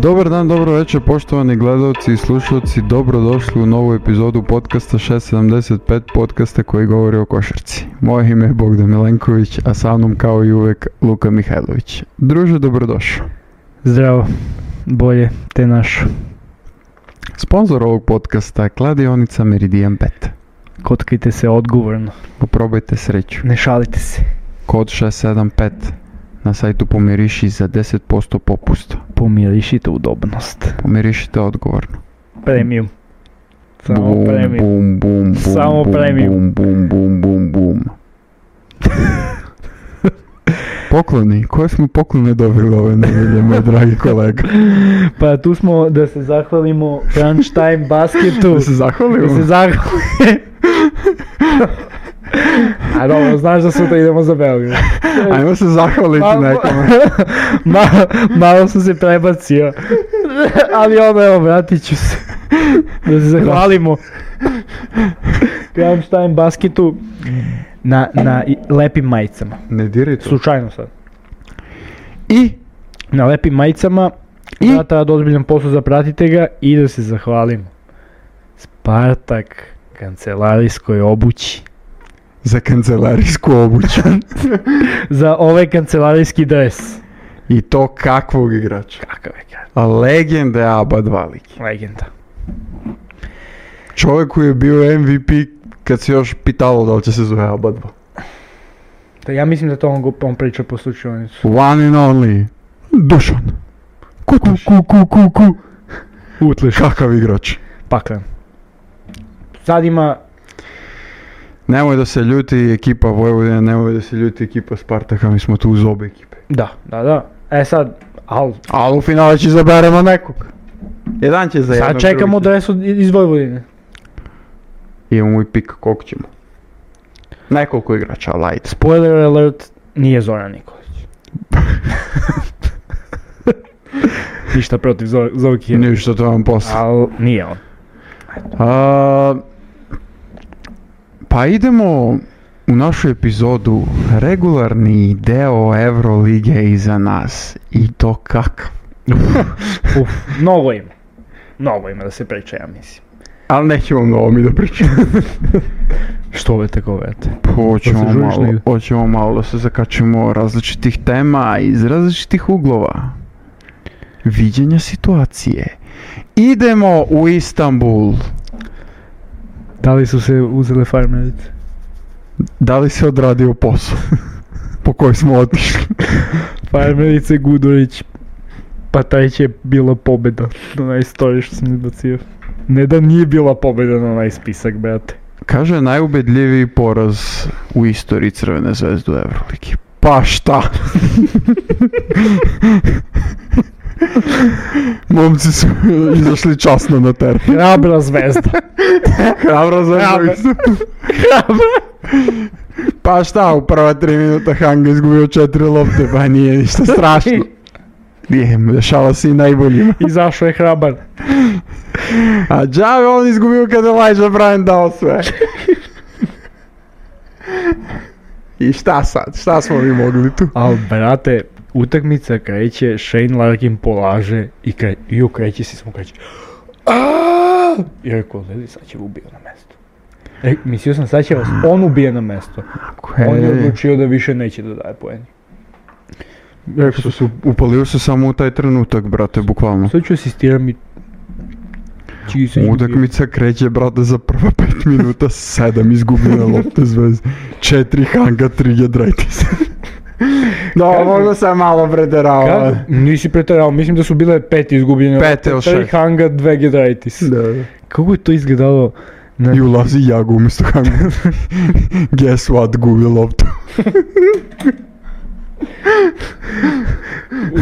Dobar dan, dobro večer, poštovani gledalci i slušalci, dobrodošli u novu epizodu podcasta 675, podcasta koji govori o košarci. Moje ime je Bogdan Milenković, a sa mnom kao i uvek Luka Mihajlović. Druže, dobrodošao. Zdravo, bolje te naš. Sponsor ovog podcasta je kladionica Meridian Bet. Kockajte se odgovorno. Poprobajte sreću. Ne šalite se. Kod 675 na sajtu Pomiriši za 10% popusta. Pomirišite udobnost. Pomirišite odgovorno. Premium. Samo Bum, premium. bum, bum, bum, Samo bum, premium. bum, bum, bum, bum. Pokloni, koje smo poklone dobili ove nedelje, moj dragi kolega? Pa tu smo da se zahvalimo Crunch Time Basketu. Da se zahvalimo? Da se zahvalimo. A dobro, znaš da sutra idemo za Beograd. Ajmo se zahvaliti nekome. Malo sam se prebacio. Ali ono, evo, vratit ću se. Da se zahvalimo Crunch Time Basketu na lepim majicama. Ne diraj to. Slučajno sad. I? Na lepim majicama. I? Znate rad ozbiljan posao, zapratite ga i da se zahvalimo Spartak kancelarijskoj obući. Za kancelarijsku obuću. Za ovaj kancelarijski dres. I to kakvog igrača? Kakav je igrač? A legende ABA 2 liki. Legenda. Čovjek koji je bio MVP kad se još pitalo da li će se zove ABA 2. Da, ja mislim da to on priča po slučajnicu. One and only. Dušan. Ku. Utleš. Kakav igrač. Paklen. Sad ima... Nemoj da se ljuti ekipa Vojvodina, nemoj da se ljuti ekipa Spartaka, mi smo tu uz obe ekipe. Da. E sad, Ali u finale će izaberemo nekog. Jedan će za jednog. sad čekamo dresu iz Vojvodine. Imamo i pik koliko ćemo. Nekoliko igrača, light. Spoiler alert, nije Zoran Nikolić. Ništa protiv Zovki. Ništa, to vam posao. Ali nije on. Pa idemo u našu epizodu, regularni deo Eurolige iza nas. I to kakav. Mnogo ima da se priča, ja mislim. Ali nećemo mnogo mi da pričamo. Što ove tako vete? Hoćemo malo da se zakačimo različitih tema iz različitih uglova. Viđenja situacije. Idemo u Istanbul. Da li su se uzele farmerice? Da li se odradio posao po koji smo otišli? Farmerice, Gudurić, pa taj će bila pobjeda na onaj story što sam izbacio. Ne da nije bila pobjeda na onaj spisak, brate. Kaže najubedljiviji poraz u istoriji Crvene zvezde u Euroligi. Pa šta? Momci su izašli časno na teren. Hrabra zvezda. Hrabra zvezda. Pa šta, u prva 3 minuta Hanga izgubio 4 lopte, pa nije ništa strašno. Nije, dešava se i najboljima. Izašao je hrabar. A džave on izgubio kada je Elijah Bryant dao sve. I šta sad? Šta smo mi mogli tu? Al brate, utakmica kreće, Shane Larkin polaže i kreće se smo kreće. I rekao, Lili, sad će ubio na mesto. Mislio sam, sad će vas on ubije na mesto. On je odlučio da više neće da daje poeni. Upalio se samo u taj trenutak, brate, bukvalno. Sad ću asistiram i... Utakmica kreće, brate, za prva 5 minuta, 7 izgubljene lopte Zvezde, 4 Hanga, 3 Giedraitis. No, možda sam malo preterao. Nisi preterao, mislim da su bile 5 izgubljene lopte, 3 Hanga, 2 Giedraitis. Da. Kako je to izgledalo? I ulazi Jago umjesto Hanga. Guess what, gubi loptu.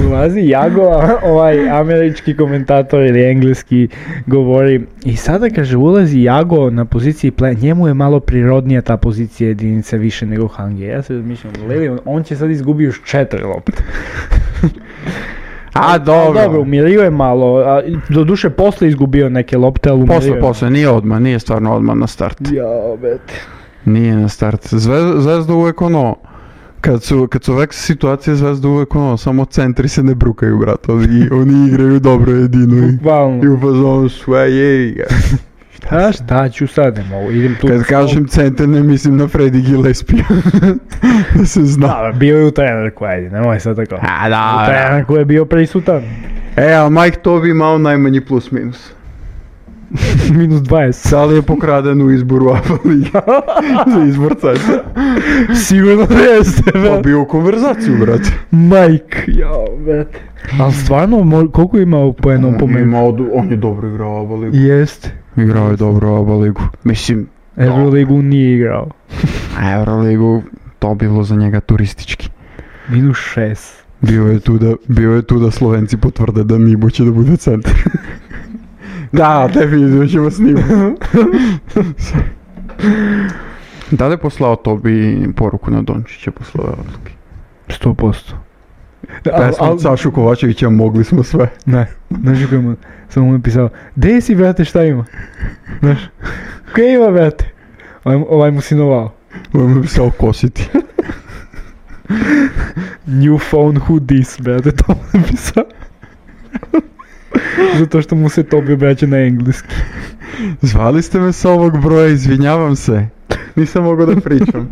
Ulazi Jago, ovaj američki komentator ili engleski govori i sada kaže ulazi Jago na poziciji njemu je malo prirodnija ta pozicija jedinice više nego Hange. Ja se razmišljam, on će sad izgubiti još 4 lopte. A dobro. Dobro, umirio je malo, doduše posle izgubio neke lopte, ali umirio je. Posle, nije odmah, nije stvarno odmah na start. Ja, bete. Nije na start. Zvezda uvijek ono, Kad su ovakve situacije Zvezda uvek ono, samo centri se ne brukaju, brate, oni igraju dobro jedino i u fazonu sve je. Šta ću sad, ne mogu, idem tu. Kad kažem centar ne mislim na Freddy Gillespie, da se zna. Da, bio je u trenerku, ajde, nemoj sad tako. Da. U trenerku je bio prisutan. Ali Mike Tobi imao najmanji plus minus. Minus 20. Da li je pokraden u izboru ABA lige za izbor centra? Sigurno jeste, brate. Pa bio u konverzaciju, brate. Mike, jao, brate. Ali stvarno, koliko je imao po jednom pomenu? On je dobro igrao ABA ligu. Jeste. Igrao je dobro ABA ligu. Mislim... Euroligu nije igrao. Euroligu, to bilo za njega turistički. Minus 6. Bio je tu da Slovenci potvrde da Nibo će da bude centar. Da, definitivno ćemo snimati. Da li je poslao Tobi poruku na Dončića posle ove odluke? 100%. Pesma Sašu Kovačevića, mogli smo sve. Ne, znaš kako mu, samo mu je pisao, gdje si, brate, šta ima? Znaš, kaj ima, brate? Ovaj mu sinovao. Ovaj mu je pisao kositi. New phone, who this, brate, to mu je pisao. Zato što mu se Tobi obraća na engleski. Zvali ste me sa ovog broja, izvinjavam se. Nisam mogao da pričam.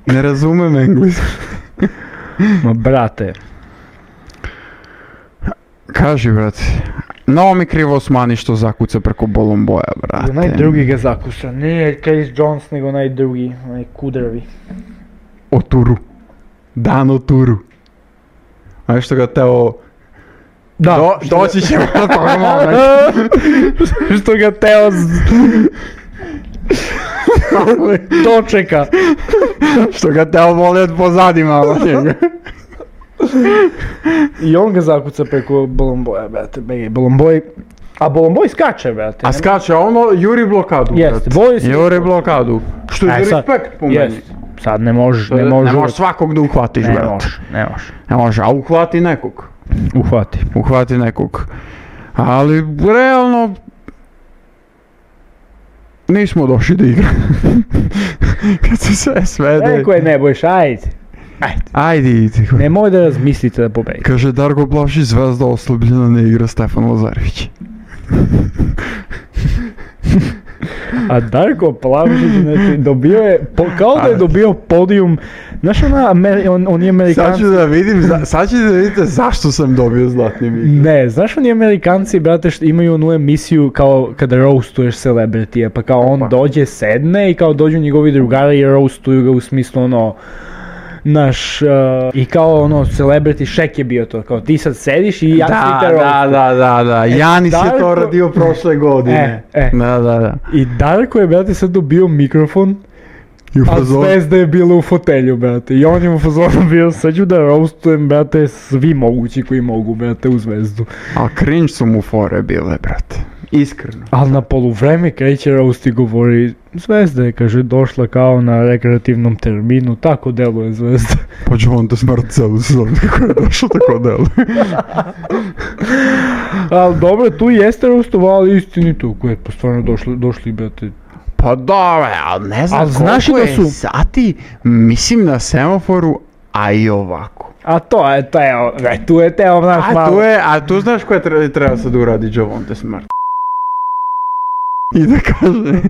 Ne razumem engleski. Ma brate. Kaži, brate. No mi krivo Osmani što zakuca preko Bolomboja, brate. Onaj drugi ga zakuša, nije Case Jones, nego onaj drugi, onaj kudravi. O Turu. Dan o Turu. A nešto ga teo... Da, doći ćemo na toga moment. Što ga teo dočeka. Što ga teo voli od pozadi malo njega. I on ga zakuca preko Bolomboja, brate, Bolomboj. A Bolomboj skače, brate. A skače, ono juri blokadu, brate. Juri blokadu. Što je za respekt po meni. Sad ne možeš svakog da uhvatiš, brate. Ne može, a uhvati nekog. Uhvati nekog. Ali, realno, nismo došli da igra. Kad se sve svede... Neko je ne bojiš, Ajde, idi. Nemoj da razmislite da pobedi. Kaže Darko Plavšić, Zvezda oslabljena, ne igra Stefan Lazarević. A Darko Plavšić, znači, dobio je, kao da je dobio podijum, znaš on je Amerikanci... Sad ću da vidite zašto sam dobio zlatni mikrofon. Ne, znaš oni Amerikanci, brate, imaju onu emisiju kao kada roastuješ celebritije, pa kao on dođe, sedne i kao dođu njegovi drugari i roastuju ga u smislu ono... Naš, i kao ono, celebrity Shaq je bio to, kao ti sad sediš i Janis te roastuje. Da, Janis je to radio prošle godine. Da. I Darko je, brate, sad dobio mikrofon, a Zvezda je bila u fotelju, brate, i on je u fazonu bio, sad ću da roastujem, brate, svi mogući koji mogu, brate, u Zvezdu. A cringe su mu fore bile, brate. Iskreno. Ali na poluvreme kreće roast i govori, Zvezda je, kaže, došla kao na rekreativnom terminu, tako deluje Zvezda. Pa Javonte Smart celu sezonu kako je došlo, tako deluje. Ali dobro, tu jeste roastovali istinito, koje je pa stvarno došli, brate. Pa dobro, ali ne znam koliko je sati, mislim na semaforu, a i ovako. A tu je teo naš malo. A tu znaš koje treba sad uradi Javonte Smart. I da kaže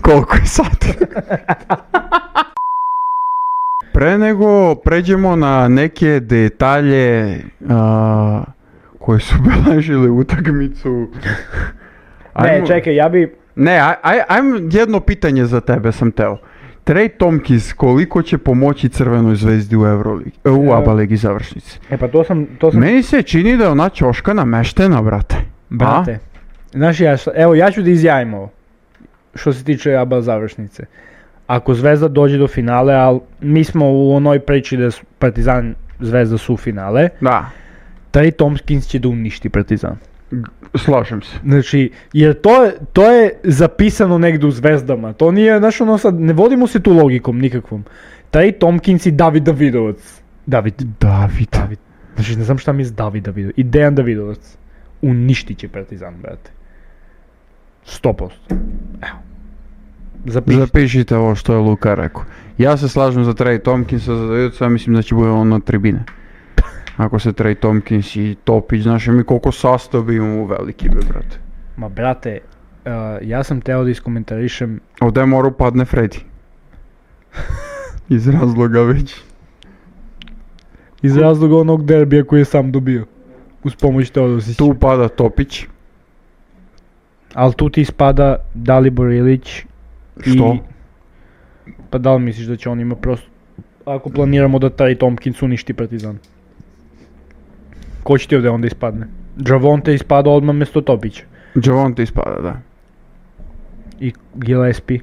koliko je sati. Pre nego pređemo na neke detalje koje su beležili utakmicu. Ne, čekaj, ja bi... Ne, ajmo jedno pitanje za tebe sam teo. Trey Tompkins koliko će pomoći Crvenoj zvezdi u ABA ligi završnici? Pa to sam... Meni se čini da je ona ćoška nameštena, brate. Brate, znaš, ja ću da izjavim ovo, što se tiče ABA završnice. Ako Zvezda dođe do finale, ali mi smo u onoj priči da Partizan Zvezda su finale, da. Trey Tompkins će da uništi Partizan. Slažem se. Znači, jer to je zapisano negdje u Zvezdama, to nije, znaš ono sad, ne vodimo se tu logikom nikakvom. Trey Tompkins i David Davidovac. David. Znači, ne znam šta mi je David Davidovac. I Dejan Davidovac. Uništit će Partizan, brate. 100%. Evo. Запишite ovo što je Luka rekao. Ja se slažem za Trey Tompkinsa, za Davidsa, ja mislim da će bude on na tribine. Ako se Trey Tompkins i Topić, znaš mi koliko sastav imamo veliki be, brate. Ma brate, ja sam teo da iskomentarišem... Ovdje mora upadne Freddy. Iz razloga već. Iz razloga onog derbija koji je sam dobio. Uz pomoć Teodosića. Tu upada Topić. Ali tu ti ispada Dalibor Ilić. Što? Pa da li misliš da će on ima prosto... Ako planiramo da taj Tompkins uništi Partizan. Ko će ti ovdje onda ispadne? Javonte ispada odmah mjesto Topića. Javonte ispada, da. I Gillespie.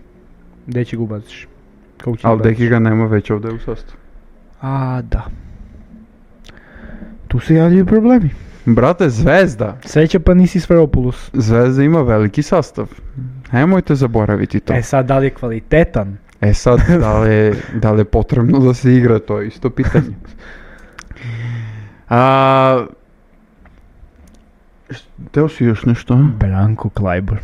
Gdje će ga ubaciš? Ali Deki ga nema već ovdje u sastavu. A, da. Tu se javljaju problemi. Brate, Zvezda. Sreća pa nisi Sferopoulos. Zvezda ima veliki sastav. Nemojte zaboraviti to. E sad, da li je kvalitetan? E sad, da li je potrebno da se igra, to je isto pitanje. Teo si još nešto? Branko Klajbor.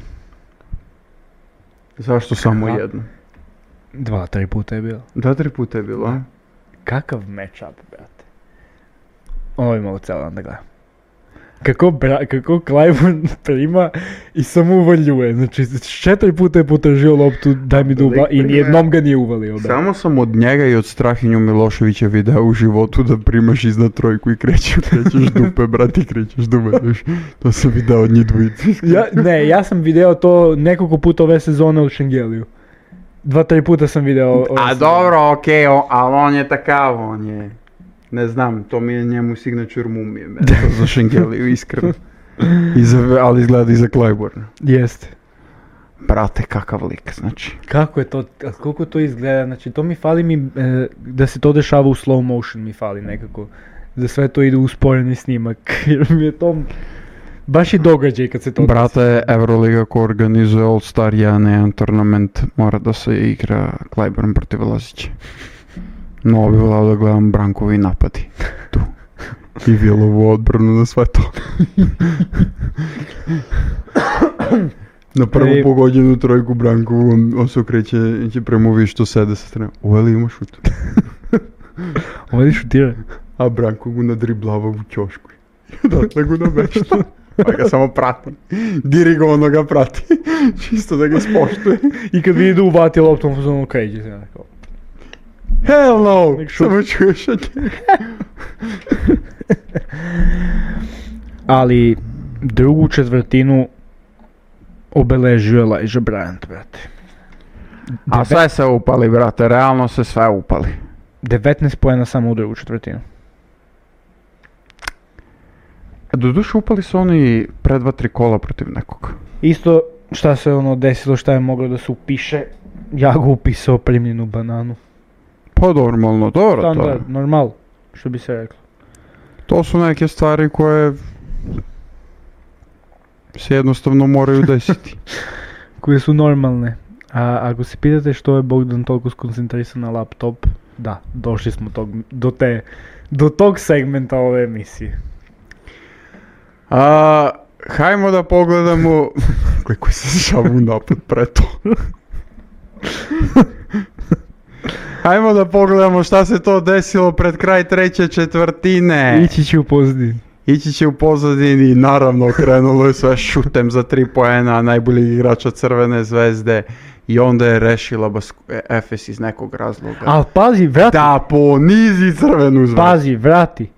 Zašto samo jedno? 2-3 puta je bilo. 2-3 puta je bilo, a? Kakav match-up, brate. Ovo je malo celo da gledam. Kako Klajbor prima i samo uvaljuje. Znači, 4 puta je potražio loptu, daj mi da i nijednom ga nije uvalio. Brate. Samo sam od njega i od Strahinju Miloševića video u životu da primaš iznad trojku i krećeš dupe, brate, i krećeš dupe. To sam video od njih dvojici. Ja sam video to nekoliko puta ove sezone od Šengeliju. 2-3 puta sam video... dobro, okej, ali on je takav, on je... Ne znam, to mi je njemu signature mumije, za Šengeliju, iskreno. Ali izgleda i za Klajborna. Jeste. Brate, kakav lik, znači. Kako je to, koliko to izgleda, znači to mi fali da se to dešava u slow motion mi fali nekako. Da sve to ide u usporeni snimak, jer mi je to... Baš i događaj kad se to... Brate, Euroliga ko organizuje All Star 1 tournament, mora da se igra Klajborn protiv Lazića. No, bi volao da gledam Brankovi napadi. Tu. I Vilovu odbranu na sve to. Na prvu pogođenu trojku Brankovu, on se okreće prema što sede sa strane. Uveli ima šut. Uveli šutira. A Branko ga nadriblava u ćošku. Dakle ga namešta. Pa ga samo prati. Dirigovano ga prati. Čisto da ga ispoštuje. I kad vidi da uvati loptom, on okreće se nekako. Hell no! Samo čuješ od njega. Ali drugu četvrtinu obeležio Elijah Bryant, brate. A sve se upali, brate, realno se sve upali. 19 poena samo u drugu četvrtinu. Doduše upali su oni pre 2-3 kola protiv nekog. Isto šta se desilo, šta je moglo da se upiše, ja ga upisao primljenu bananu. Pa normalno, dobro to. Standard, normal, što bi se reklo. To su neke stvari koje se jednostavno moraju desiti. Koje su normalne. A ako se pitate što je Bogdan toliko skoncentrisan na laptop, da, došli smo do tog segmenta ove emisije. Hajmo da pogledamo koji se šavu napad pre to. Hajmo da pogledamo šta se to desilo pred kraj treće četvrtine. Ići će u pozadini i naravno krenulo je sve šutem za 3 poena najboljeg igrača Crvene zvezde i onda je rešila Efes iz nekog razloga. Al pazi, vrati. Da ponizi Crvenu zvezdu. Pazi, vrati.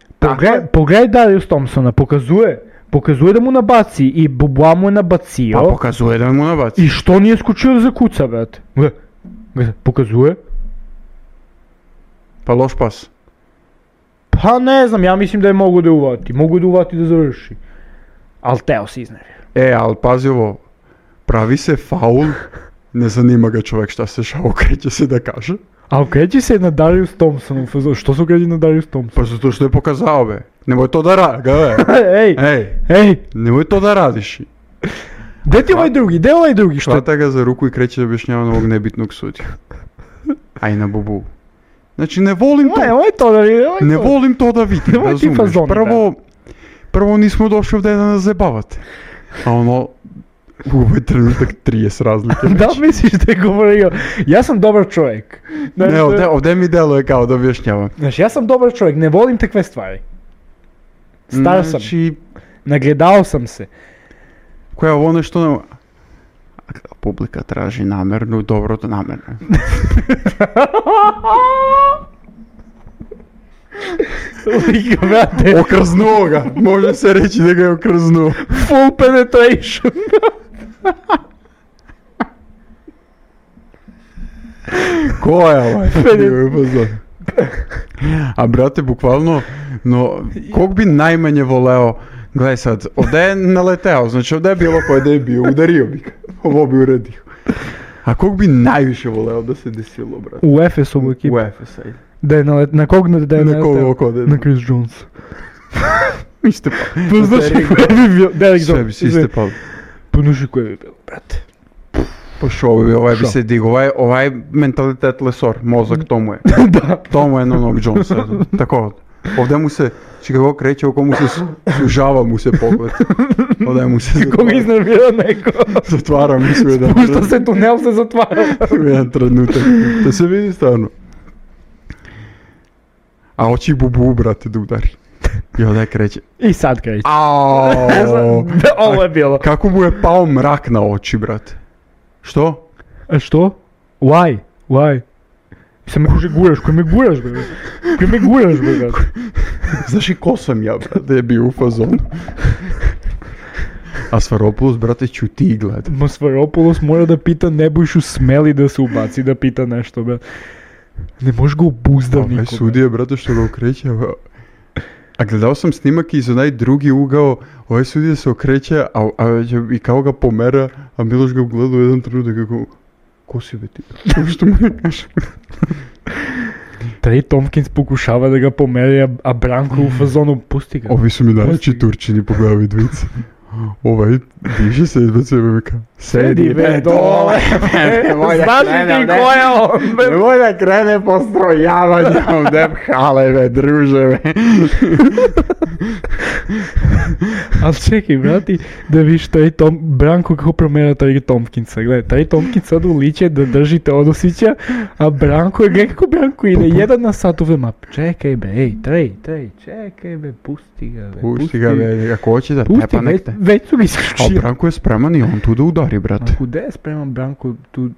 Pogledaj Darius Thompsona, pokazuje da mu nabaci i Boboa mu je nabacio. Pa pokazuje da mu nabaci. I što nije skočio da zakuca, brate? Pokazuje. Pa loš pas. Pa ne znam, ja mislim da je mogu da uvati da završi. Al teo si iznervio. Ali pazi ovo, pravi se faul, ne zanima ga čovjek šta se šao, okreće se da kaže. A okreće se na Darius Thompsonu, što se okreće na Darius Thompsonu? Pa zato što je pokazao be, nemoj to da radiš, Ej, nemoj to da radiš. Gdje je ovaj drugi, što? Hvata ga za ruku i kreće da objašnjava novog nebitnog sudija. Aj na Bobu. Znači ne volim to, ne volim to da vidim, razumiješ, prvo nismo došli ovdje da nas zabavate, a u ovaj trenutak 30 razlike. Da li misliš da je govorio, ja sam dobar čovjek? Ne, ovdje mi deluje kao da objašnjavam. Znaš, ja sam dobar čovjek, ne volim takve stvari. Star sam, Znači, nagledao sam se. koja ono što publika traži namernu, dobro to namerno. Brate, Okrznuo ga, može se reći da ga je okrznuo. full penetration. Ko je ovaj? A brate, bukvalno, no, kog bi najmanje voleo, gledaj sad, ovdje je naleteo, znači ovdje je bilo koje da je bio, udario bi ga, ovo bi uradio. A kog bi najviše voleo da se desilo, brate? U Efesovu ekipu. U Efesa, ajde. Da je na kog da je Na naleteo? koga ode? Na Chris Jones. Ište pa. Pa znaš koje bi bio? Derek Sve bi Jones. si iste pa. Pa znaš koje bi bilo, brate. Pa šo bi, ovaj bi Šo? se digao, ovaj mentalitet lesor, mozak tomu je. Da. Tomu je na onog Jonesa, tako. Ovdje mu se, či kako kreće, oko mu se sužava mu se pogled. Ovdje mu se Koga iznervira neko. zatvara mu se u jedan Pušta se tunel, se zatvara. u jedan trenutak. Da se vidi stvarno. A hoće i bubu, brate, da udari. I ovdje kreće. I sad kreće. Aaaaaa. Ovo je bilo. Kako mu je pao mrak na oči, brate? Što? A što? Why? Why? Sam me kuže guraš, koji me guraš, bre? Koji me guraš, bre, brate? Znaš i ko sam ja, brate, je bio u fazonu. A Svaropoulos, brate, ću ti gleda. Svaropoulos mora da pita Nebojšu smeli da se ubaci da pita nešto, bre. Ne možeš ga obuzda Ovaj niko. sudija, brate, što ga okreće. A gledao sam snimak iz onaj drugi ugao, ovaj sudija se okreće, i kao ga pomera, a Miloš ga ugleda u jedan trenutak kako... Ko si be ti? Što mu ne kaže? Trey Tompkins pokušava da ga pomeri, a Branko u fazonu pusti ga. Ovi su mi najveći Pusti ga. Turčini po glavi dvice. Ovaj diže se izbacuje sebe veka. Sedi be dole. Znaš li ti ko je on? be? Nemoj da krene postrojavanje ovdje hale be, druže be. Ali čekaj, brati, da viš Branko kako promjera Trey Tompkinsa. Gledaj, Trey Tompkins sad uliče da drži Teodosića, a Branko je, gledaj kako Branko ide, jedan na sat uvre map. Čekaj be, ej, Trey, čekaj be, pusti ga be. Pusti ga be, ako hoće da Pusti, tepa nek te. već su ga A isključili. Branko je spreman i on tu da udari, brate. A kude je spreman Branko tu?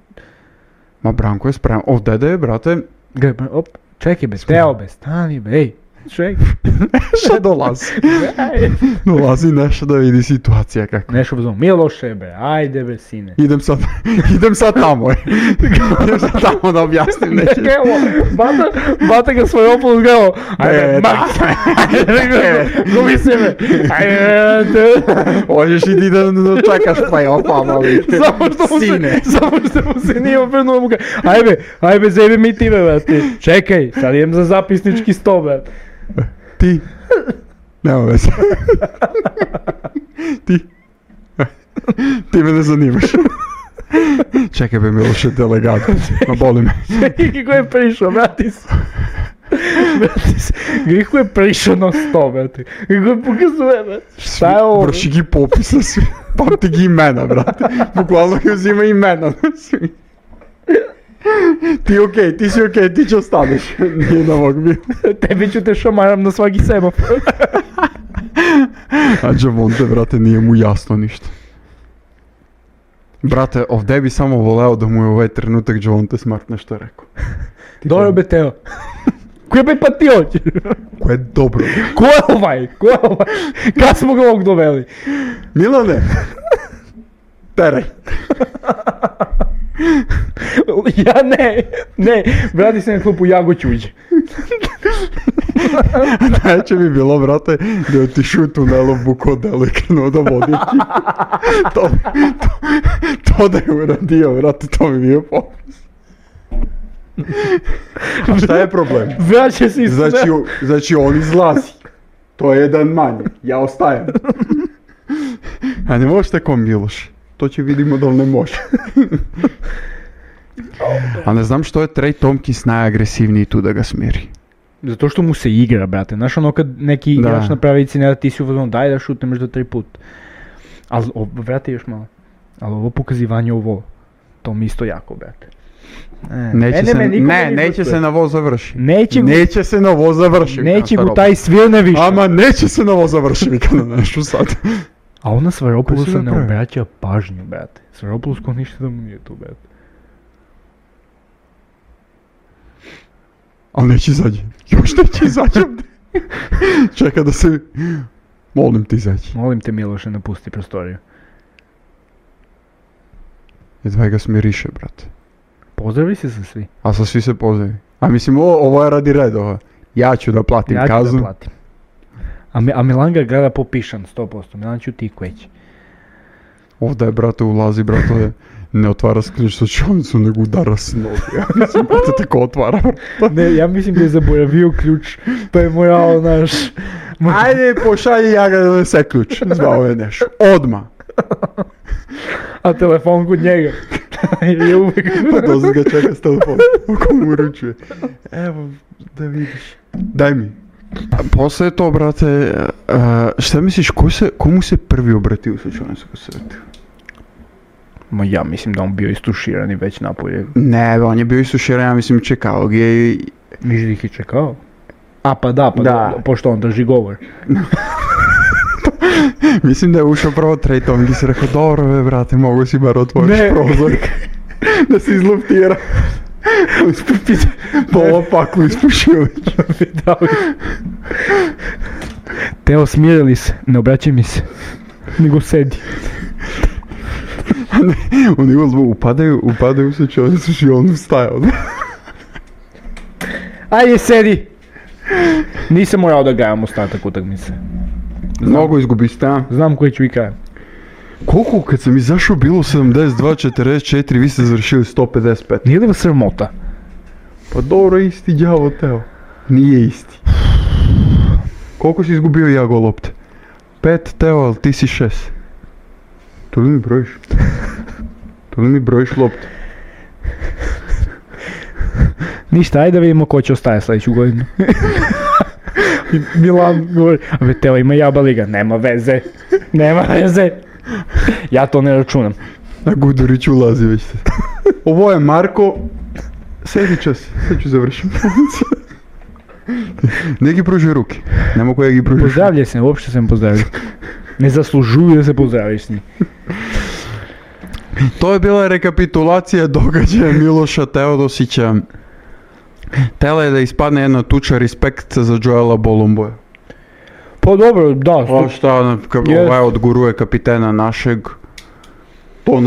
Ma Branko je spreman, ovdje da je, brate, Gledaj, op, čekaj be, Teo be, stani be, ej, čekaj. što dolazi. Dolazi nešto da vidi situacija kako. Nešto uzmano, Miloše be, ajde be, sine. Idem sad tamo, idem sad tamo da objasnim nešto. Evo, bata ga svoj opoluz gledao, ajde, gubi se me, ajde, Možeš i ti da čekaš play-offa, mali. samo što mu se nije obrnuo muka, ajde, zebi mi ti be, brate, čekaj, sad idem za zapisnički sto, brate. Ti? Nema veze. Ti me ne zanimaš. Čekaj be Miloše, delegato. Ma boli me. Čekaj, ko je prišao, bratis. Kako je prišao na sto, brate. Kako je pokazuje, brate. Šta je ovo? Vrši gi popis na svi. Pamti gi imena, brate. Bukvalno gi uzima imena na svi. Ti si okej, ti će ostaneš. Nije na mog bio. Tebi ću te šamaram na svaki semafor. A Javonte, brate, nije mu jasno ništa. Brate, ovdje bi samo voleo da mu je ovaj trenutak Javonte Smart nešto rekao. Dobro be, Teo. Ko je be pa ti hoćeš? Ko je dobro. Ko je ovaj? Kad smo ga ovog doveli? Milane! Teraj. Ja ne, vrati se na klupu Jagoćuđe. Neće bi bilo, brate, da je otišao u tunelu buko delo i krenuo da vodi ekipu. To da je uradio, brate, to mi bio popis. A šta je problem? Vraća se iz Znači on izlazi. To je jedan manje. Ja ostajem. A ne možeš tako Miloš. To će vidimo da li ne može. A ne znam što je Trey Tompkins najagresivniji tu da ga smiri. Zato što mu se igra, brate. Znaš ono kad neki igrač napravi icinera, ti si uvozno daj da šutneš do 3 put. Ali, vrati još malo. Ali ovo pokazivanje ovo, to mi isto jako, brate. Neće se na voz završi. Neće se na voz završi. Neće go taj svirne više. Ama neće se na voz završi, vikano nešto sad. A ona Svaropoulosa ne obraća pažnju, brate. Svaropoulos ko ništa da mu nije tu, brate. Ali neće izađi. Još neće izađi. Čeka da se... Molim ti izađi. Molim te, Miloše, napusti prostoriju. Jedva ga smiriše, brate. Pozdravi se sa svi. A sa svi se pozdravi. A mislim, ovo je radi redova. Ja ću da platim kaznu. Ja ću da platim. A Milan ga gleda popišan 100%. Milan ću ti kveći. Ovdje je, brate, ulazi, brate, ne otvara ključ sa čovnicu, nego udara s nogu. Ja mislim, brate, tako otvara. Ne, ja mislim da je zaboravio ključ, pa je morao naš... Ajde, pošalji ja ga da donese ključ. Zvao je nešto. Odmah. A telefon kod njega. Je uvijek... Pa dozad ga čeka s telefonom. Ako mu uručuje. Evo, da vidiš. Daj mi. Posle to, brate, šta misliš, komu se prvi obratio sa čovnicu ko se vratio? Ma ja mislim da on bio istuširan i već napolje. Ne, on je bio istuširan, ja mislim čekao ga i... Misliš da ih je čekao? A pa da. Pošto on drži govor. Mislim da je ušao prvo trejtom i si rekao, dobro, brate, mogu si bar otvoriš prozor. Da se izluftira. Pola paklu ispušio već. Teo, smirili se, ne obraćaj mi se. Nego sedi. Oni upadaju se čovjecu i on stajao. Ajde, sedi. Nisam morao da gajam ostatak utakmice. Mnogo izgubiste, a? Znam koji ću i kajem. Koliko kad sam izašao bilo 72-44, vi ste završili 155. Nije li vas sramota? Pa dobro, isti đavo Teo. Nije isti. Koliko si izgubio ja go lopte? 5 Teo, ali ti si 6. To li mi brojiš? To li mi brojiš lopte? Ništa, ajde da vidimo ko će ostaje sljedeću godinu. Milan govori, a Teo ima jaba liga, nema veze. Ja to ne računam. A Gudurić ulazi već se. Ovo je Marko. Sedi čas, sad ću završiti. Neki pružuje ruke. Ne mogu ja gi pružiti. Pozdravljaj se, uopšte sam pozdravio. Ne zaslužuju da se pozdraviš s njim. To je bila rekapitulacija događaja Miloša Teodosića. Tele je da ispadne jedna tuča respekt za Joela Bolomboja. Pa dobro, da. Pa šta, ovaj odguruje kapitena našeg. To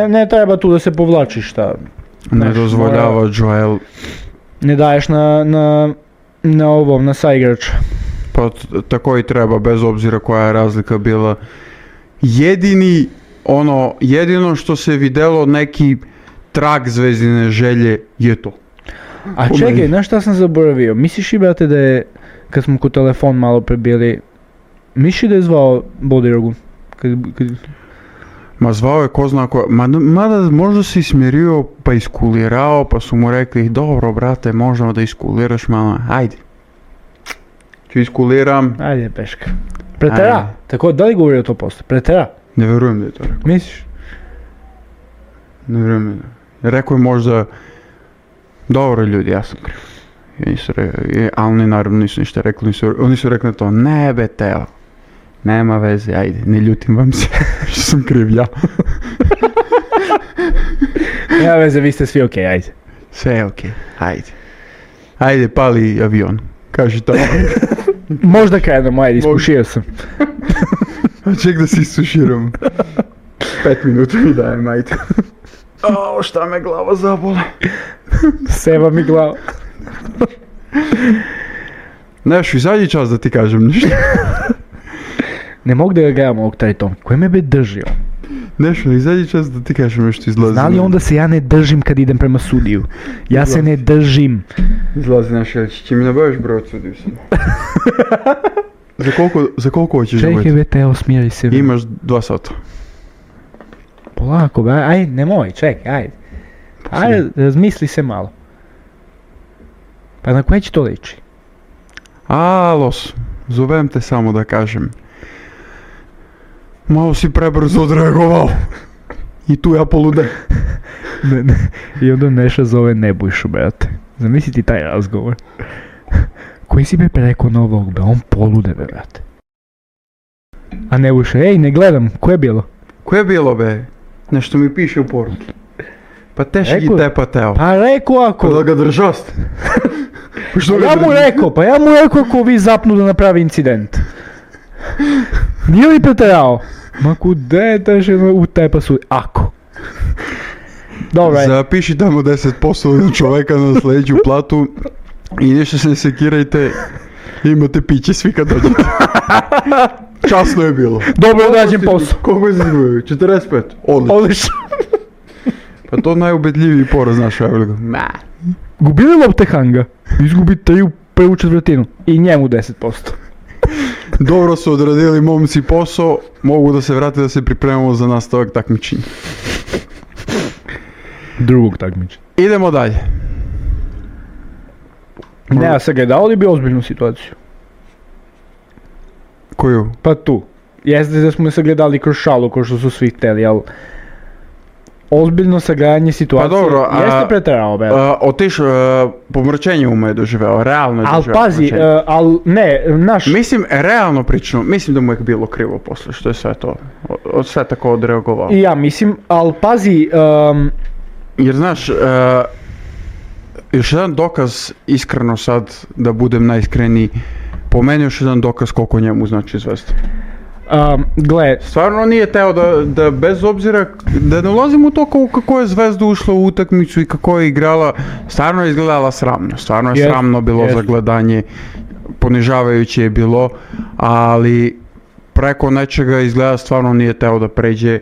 ne treba tu da se povlačiš, šta. Ne dozvoljava Joel. Ne daješ na saigrača. Pa tako i treba, bez obzira koja je razlika bila. Jedino što se videlo neki trag Zvezdine želje je to. A čekaj, znaš šta sam zaboravio? Misliš i, brate, da je, kad smo kod telefon malo prebili, misliš da je zvao Bodirogu? Ma zvao je ko zna ko, mada možda si smjerio pa iskulirao, pa su mu rekli, dobro brate, možemo da iskuliraš malo, ajde. Ću iskuliram. Ajde, peška. Pretera? Tako, da li govorio to posle? Pretera? Ne verujem da je to rekao. Misliš? Ne verujem da je. Rekao je možda, dobro ljudi, ja sam kriv. Ali oni naravno nisu ništa rekli, oni su rekli to, ne be Teo. Nema veze, ajde, ne ljutim vam se, što sam kriv ja. Nema veze, vi ste svi okej, ajde. Sve je okej, ajde. Ajde, pali avion, kaži to. Možda krenemo, ajde, ispušio sam. Ček da se isuširam. 5 minuta mi dajem, ajde. O, šta me glava zabole. Seva mi glava. Neš, izađi čas da ti kažem ništa. Ne mogu da ga gledam ovog trajtom. Koje me be držio? Nešto, izađi čas da ti kažem nešto izlazi. Zna li onda se ja ne držim kad idem prema sudiju? Ja se ne držim. Izlazi naš Jelić, će mi nabaviš broj od sudiju sam. Za koliko hoćeš da Čekaj, Teo, smijaj se. Imaš 2 sata. Polako, ajde, nemoj, čekaj, ajde. Ajde, razmisli se malo. Pa na koje će to liči? Alos, zovem te samo da kažem. Malo si prebrzo odreagovao. I tu ja polude. I onda Neša zove Nebojšu, brate. Zamisli ti taj razgovor. Koji si be preko novog, be, on polude, be, brate. A Nebojša, ej, ne gledam, ko je bilo? Ko je bilo, be? Nešto mi piše u poruki. Pa teški gi tepa teo. Pa rekao ako... Da ga držast. Ja mu rekao ako vi zapnu da napravi incident. Nije li preterao? Ma kude teže u tepa su... Ako. Dobro. Zapiši tamo 10% na čoveka na sljedeću platu i nešto se ne sekirajte. Imate piće svi kad dođete. Časno je bilo. Dobro odrađen posao. Koliko je zanimljivo? 45? Odlično. Pa to najubedljiviji poraz naša Evelika. Gubili lopte Hanga. Izgubi 3 u prvu četvrtinu. I njemu 10%. Dobro su odradili momci posao. Mogu da se vrate da se pripremamo za nastavak takmičenja. Drugog takmičenja. Idemo dalje. Ne, a sagledao li bi ozbiljnu situaciju? Koju? Pa tu. Jeste da smo je sagledali kroz šalu, kao što su svi hteli, ali... Ozbiljno sagledanje situacije, pa dobro, jeste preterao, be. Pomračenje uma je doživeo, realno je doživeo. Al pazi, Mislim, realno pričano, mislim da mu je bilo krivo posle, što je sve to, sve tako odreagovao. I ja mislim, al pazi... Jer znaš, još jedan dokaz, iskreno sad, da budem najiskreniji, po meni još jedan dokaz koliko njemu znači zvezda. Gle, stvarno nije teo da bez obzira, da ne ulazim u to kako je Zvezda ušla u utakmicu i kako je igrala, stvarno je izgledala sramno, stvarno je sramno bilo za gledanje, ponižavajuće je bilo, ali preko nečega izgleda stvarno nije teo da pređe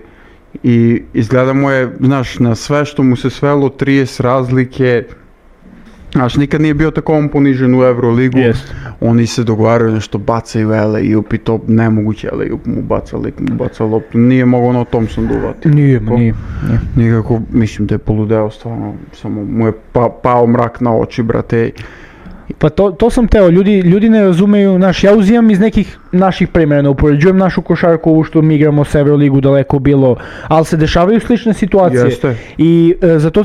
i izgleda mu je, znaš, na sve što mu se svelo 30 razlike. Znaš, nikad nije bio tako on ponižen u Euroligu, oni se dogovaraju nešto, bacaju alley-oop i to nemoguće alley-oop mu baca loptu, nije mogao ono Thompson duvati. Nije. Nikako, mislim da je poludeo stvarno, samo mu je pao mrak na oči, brate. Pa to sam teo, ljudi ne razumeju, ja uzimam iz nekih naših primjera, ne upoređujem našu košarku ovu što mi igramo s Euroligu daleko bilo, ali se dešavaju slične situacije. Jeste. I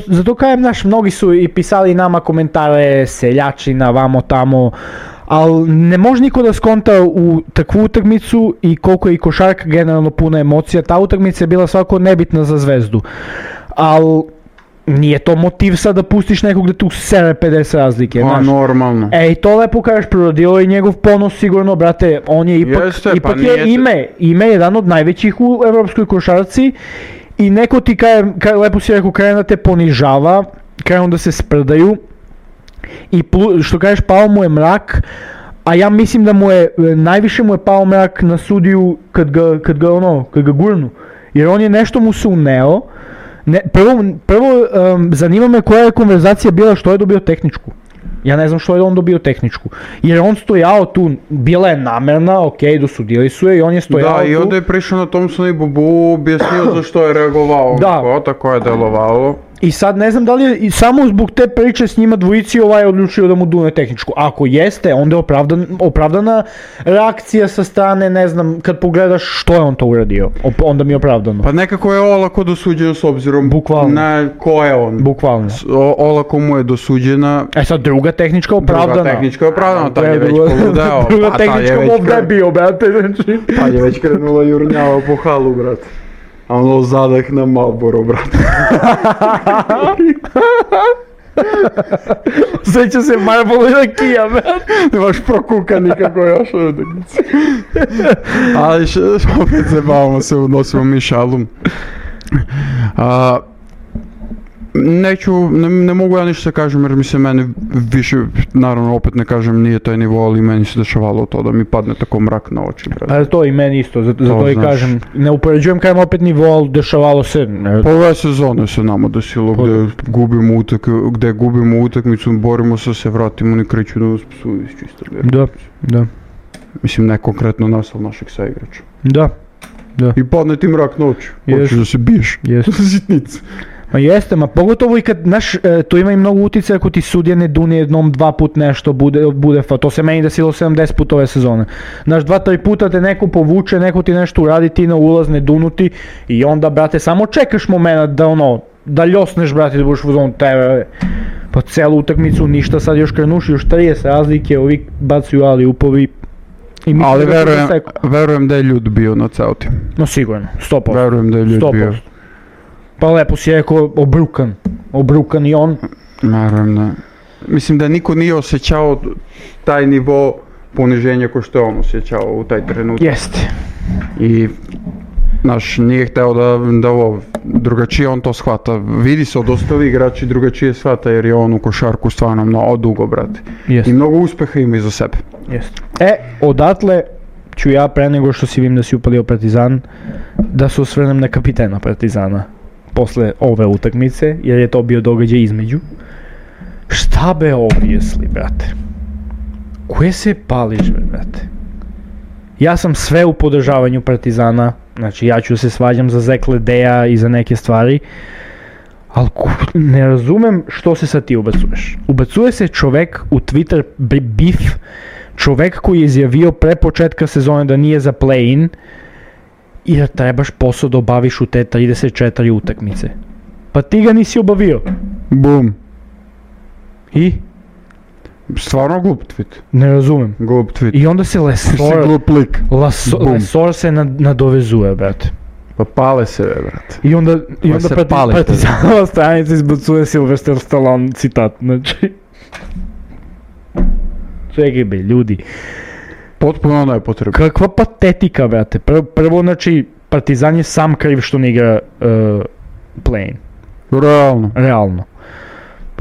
zato kajem, mnogi su i pisali nama komentare, seljačina, vamo tamo, ali ne može niko da skonta u takvu utakmicu i koliko je i košarka generalno puna emocija, ta utakmica je bila svako nebitna za Zvezdu, ali... Nije to motiv sad da pustiš nekog da tu sere 50 razlike, pa, znaš. Normalno. Ej, to lepo kažeš, prorodilo je njegov ponos sigurno, brate, on je ipak je ime jedan od najvećih u evropskoj košarci i neko ti lepo si rekao, krenu da te ponižava, krenu da se sprdaju i što kažeš, pao mu je mrak, a ja mislim da najviše mu je pao mrak na sudiju kad ga gurnu, jer on je nešto mu se uneo. Prvo zanima me koja je konverzacija bila što je dobio tehničku. Ja ne znam što je on dobio tehničku. Jer on stojao tu, bila je namerna, dosudili su je i on je stojao tu. Da, i onda je prišao na Thompsona i Bobu, objasnio zašto je reagovao. Da. Tako je delovalo. I sad ne znam da li je samo zbog te priče s njima dvojici odlučio da mu dune tehničku. Ako jeste, onda je opravdana reakcija sa strane, ne znam, kad pogledaš što je on to uradio, onda mi je opravdano. Pa nekako je olako dosuđeno s obzirom na ko je on. Bukvalno. Olako mu je dosuđena. Sad druga tehnička opravdana. Tad je već poludeo. Druga tehnička ovdje je bio, brate. Tad je već krenula jurnjava po halu, brate. A ono zadah na Marlboro, brate. Sjeća se Marlboro i rakija, brate. Nemaš prokuka nikako još ovdje. Ali opet se bavimo se, odnosimo mi šalu. Ne mogu ja ništa kažem jer mi se mene više, naravno opet ne kažem nije taj nivo, ali meni se dešavalo to da mi padne tako mrak na oči. Pa to i meni isto, zato i kažem, ne upoređujem kajem opet nivo, ali dešavalo se. Po ove sezone se nama desilo gdje gubimo utakmicu, borimo se, vratimo, oni kreću da nas psuju iz čista. Da. Mislim ne konkretno nas, ali našeg saigrača. Da. I padne ti mrak na oči, hoćeš da se biješ, za sitnicu. Ma jeste, ma pogotovo i kad, znaš, to ima i mnogo utjecaja ako ti sudija ne dune jednom, 2 put nešto bude to se meni desilo 70 puta ove sezone. Znaš, 2-3 puta te neko povuče, neko ti nešto uradi, ti na ulaz ne dunuti i onda, brate, samo čekaš moment da ljosneš, brate, da budeš u zonu tebe. Pa celu utakmicu ništa, sad još krenuši, još 30 razlike, ovi bacuju ali upovi. Ali verujem da je ljud bio na ceo tim. No sigurno, 100%. Verujem da je ljud bio. Pa lepo si rekao, obrukan i on. Verujem da. Mislim da niko nije osjećao taj nivo poniženja ko što je on osjećao u taj trenutak. Jeste. I znaš, nije hteo da ovo drugačije on to shvata. Vidi se od ostali igrači drugačije shvata jer je on u košarku stvarno mnogo dugo, brate. Jest. I mnogo uspeha ima iza sebe. Jest. Odatle ću ja pre nego što si vidim da si upalio Partizan, da se osvrnem na kapitena Partizana posle ove utakmice, jer je to bio događaj između. Šta be objesli, brate? Koje se pališ, brate? Ja sam sve u podržavanju Partizana, znači ja ću se svađam za Zekledeja i za neke stvari, ali ne razumem što se sad ti ubacuješ. Ubacuje se čovek u Twitter bif, čovek koji je izjavio pre početka sezone da nije za play-in i da trebaš posao da obaviš u te 34 utakmice. Pa ti ga nisi obavio. Bum. I? Stvarno glup tweet. Ne razumem. Glup tweet. I onda se Lesor se nadovezuje, brate. Pa pale se, brate. I onda Partizanova stranica izbacuje Sylvester Stallone citat, znači. Čekaj be, ljudi. Potpuno nepotrebno. Kakva patetika, brate. Prvo, znači, Partizan je sam kriv što ne igra play-in. Realno.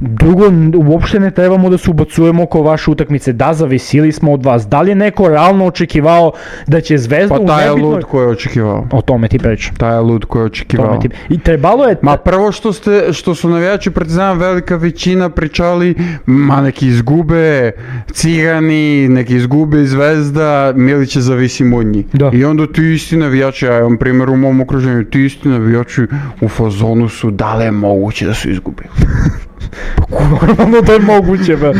Drugo, uopšte ne trebamo da se ubacujemo oko vaše utakmice. Da, zavisili smo od vas. Da li je neko realno očekivao da će Zvezda u nebitnoj... Pa taj je lud koji je očekivao. O tome ti pričam. Taj je lud koji je očekivao. I trebalo je... Ma prvo što su navijači Partizana velika većina pričali, ma neki izgube Cigani, neki izgube Zvezda, Milića zavisimo od njih. Da. I onda ti isti navijači, ja imam primjer u mom okruženju, ti isti navijači u fazonu su da li je moguće da su izgubili. Normalno da je moguće, ba.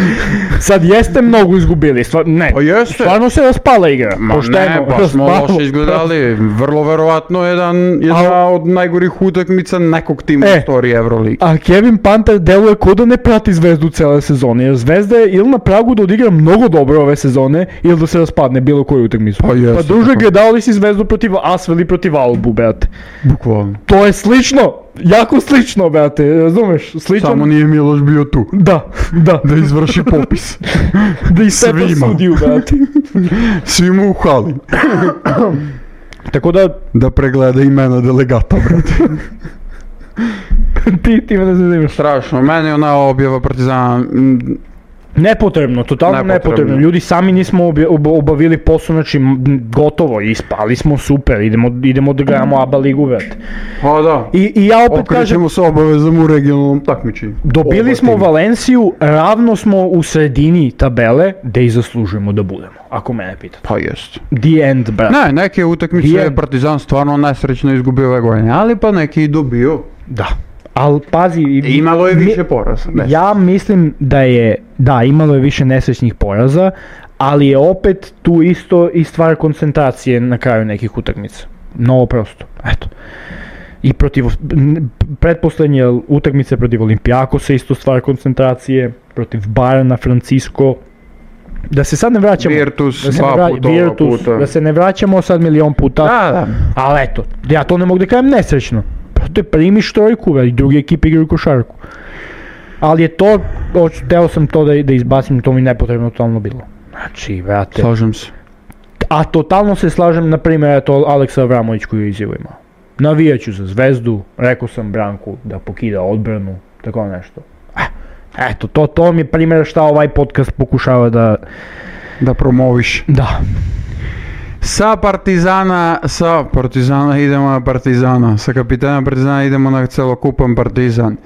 Sad jeste mnogo izgubili, stvarno se raspala igra. Pa smo loše izgledali, vrlo verovatno jedna od najgorih utakmica nekog tima u istoriji Euroligi. A Kevin Panter deluje ko da ne prati Zvezdu cele sezone, jer Zvezda je ili na pragu da odigra mnogo dobro ove sezone, ili da se raspadne bilo koju utakmicu. Pa druže, gledao li si Zvezdu protiv Asvel i protiv Albu, brate? Bukvalno. To je slično! Jako slično, brate, razumeš? Sličan... Samo nije Miloš bio tu. Da. Da izvrši popis. Da istepa sudiju, brate. Svima u hali. Tako da... Da pregleda imena delegata, brate. Ti me ne zanimaš. Strašno, meni je ona objava Partizana... Nepotrebno, totalno nepotrebno. Ljudi, sami nismo obavili posao, znači gotovo, ispali smo, super, idemo da gledamo ABA ligu, brate. Pa da, I ja opet okrećemo se obavezom u regionalnom takmičenju. Dobili smo Valenciju, ravno smo u sredini tabele, gde i zaslužujemo da budemo, ako mene pitate. Pa jest. The end, brate. Ne, neke utakmice je Partizan stvarno nesrećno izgubio ove godine, ali pa neki i dobio. Da. Ali pazi... Imalo je više poraza. Ja mislim da imalo je više nesrećnih poraza, ali je opet tu isto i stvar koncentracije na kraju nekih utakmica. Mnogo prosto, eto. I pretposlednje utakmice protiv Olimpijakosa isto stvar koncentracije, protiv Bayerna, Francisco. Da se sad ne vraćamo... Virtus, da se ne vraćamo sad milion puta. Da. Ali eto, ja to ne mogu da kažem nesrećno. Te primiš trojku, i drugi ekipi igraju košarku. Ali je to, teo sam to da izbacim, to mi nepotrebno totalno bilo. Znači, vrate... Slažem se. A totalno se slažem, na primjer, eto, Aleksa Avramović koju je izjavu imao. Navijaću za Zvezdu, rekao sam Branku da pokida odbranu, tako nešto. Eto, to mi je primjer šta ovaj podcast pokušava da promoviš. Da. Sa Partizana idemo na Partizana, sa kapitana Partizana idemo na celokupan Partizan.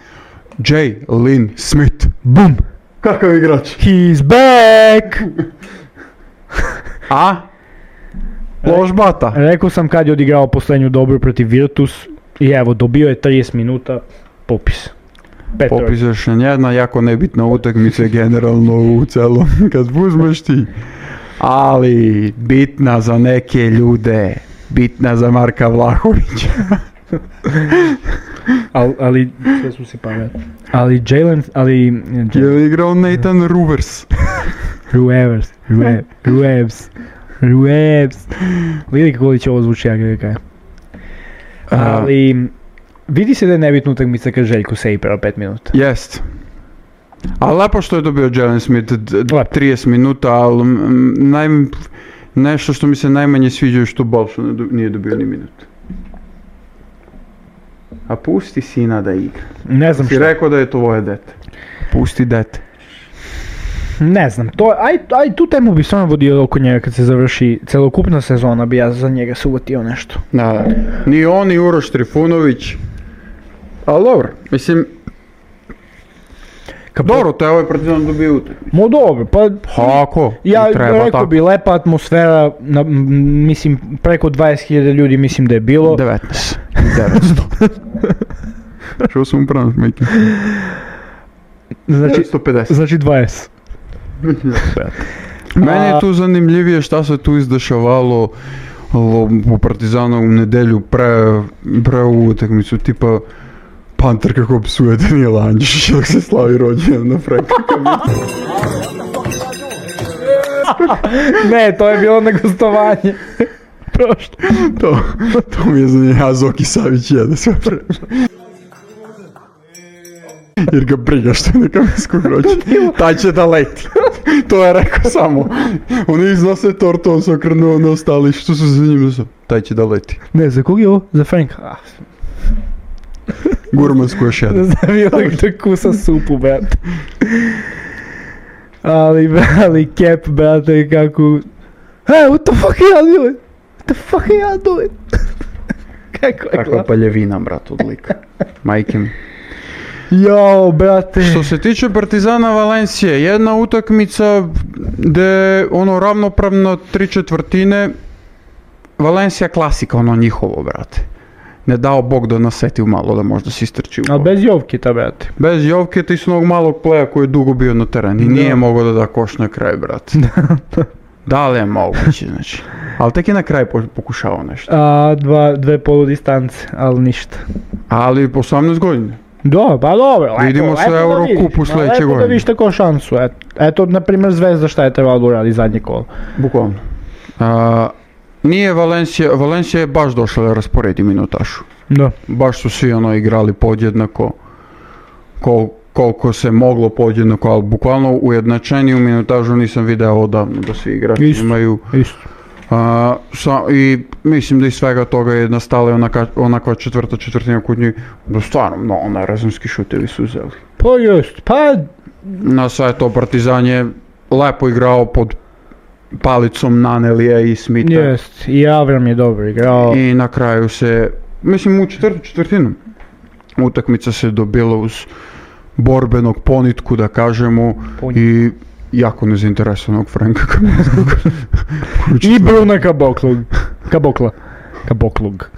Jalen Smith. Bum! Kakav igrač? He's back! A? Loš bata. Rekao sam kad je odigrao poslednju dobru protiv Virtus i evo, dobio je 30 minuta. popis. Petrov. Popis još jedna jako nebitna utakmica generalno u celom, kad uzmeš ti. Ali bitna za neke ljude, bitna za Marka Vlahovića. ali sve su si pametni. Ali Jalen, Je igrao Nathan Ruevs. Ruevs. Vidi kako će ovo zvuči, ja ga kajem. Ali vidi se da je nebitna utakmica kad Željko se igrao 5 minuta. Jest. Ali lepo što je dobio Jalen Smith 30 minuta, ali nešto što mi se najmanje sviđa je što Balšo nije dobio ni minut. A pusti sina da igra. Ne znam što. Ti rekao da je to tvoje dete. Pusti dete. Ne znam, tu temu bi stvarno vodio oko njega kad se završi celokupna sezona, bi ja za njega se uvotio nešto. Da. Ni on, ni Uroš Trifunović. Ali dobro, mislim... Dobro, to je ovaj Partizan dobio utakmicu. Mo dobro, pa... Ako, ja treba rekao tako. Bi lepa atmosfera, mislim preko 20.000 ljudi mislim da je bilo. 19. Što sam upravo smijeki? Znači, 150. Znači 20. Meni je tu zanimljivije šta se tu izdešavalo u Partizanu u nedelju pre ovu utakmicu, tipa Panter kako psuje Danijela Andžišića dok se slavi rođendan na Franka Kamića. Ne, to je bilo na gostovanje. Prošlo. To mi je zanimljivo, a Zoki Savić jede sve prema. Jer ga briga što je na Kamenskog rođendan. Taj će da leti. To je rekao samo. Oni iznose tortu, on se okrenuo na ostali, što su za njim da taj će da leti. Ne, za kog je ovo? Za Franka. Gurmansku još jedan. Zavio da kusa supu, brate. Ali Cap, brate, kako... Hey, what the fuck are you doing? What the fuck are you doing? Kako je Kakva paljevina, brat, od lika. Majke mi. Jao, brate. Što se tiče Partizana Valencije, jedna utakmica gde ravnopravno 3/4 Valencija klasika, njihovo, brate. Ne dao Bog da nasetiu malo, da možda se istrči u Ali bez Jovkita, brate. Bez Jovkita i s onog malog pleja koji je dugo bio na terenu i nije mogao da da koš na kraj, brate. Da li je moguće, znači. Ali tek je na kraj pokušao nešto. Dve poludistance, ali ništa. Ali 18 godina. Da, pa dobro. Vidimo se Eurokupu sljedeće godine. Lepo da vidiš tako šansu. Eto, na primjer, Zvezda šta je trebalo da uradi zadnje kolo. Bukvalno. Nije Valencija je baš došla da rasporedi minutašu. Da. Baš su svi igrali podjednako koliko se moglo podjednako, ali bukvalno ujednačeniju minutažu nisam video odavno da svi igrači imaju. Isto. I mislim da iz svega toga je nastala onakva četvrtina kod njih, da stvarno rezonski šutevi su uzeli. Pa jest, na sve to Partizan je lepo igrao pod palicom Nanelija i Smitha. Jest, i Avram je dobro igrao. I na kraju se, mislim u četvrtinu utakmica se dobila uz borbenog ponitku, da kažemo, i jako nezainteresovanog Franka Kamićkog. I Bruna Kaboklug.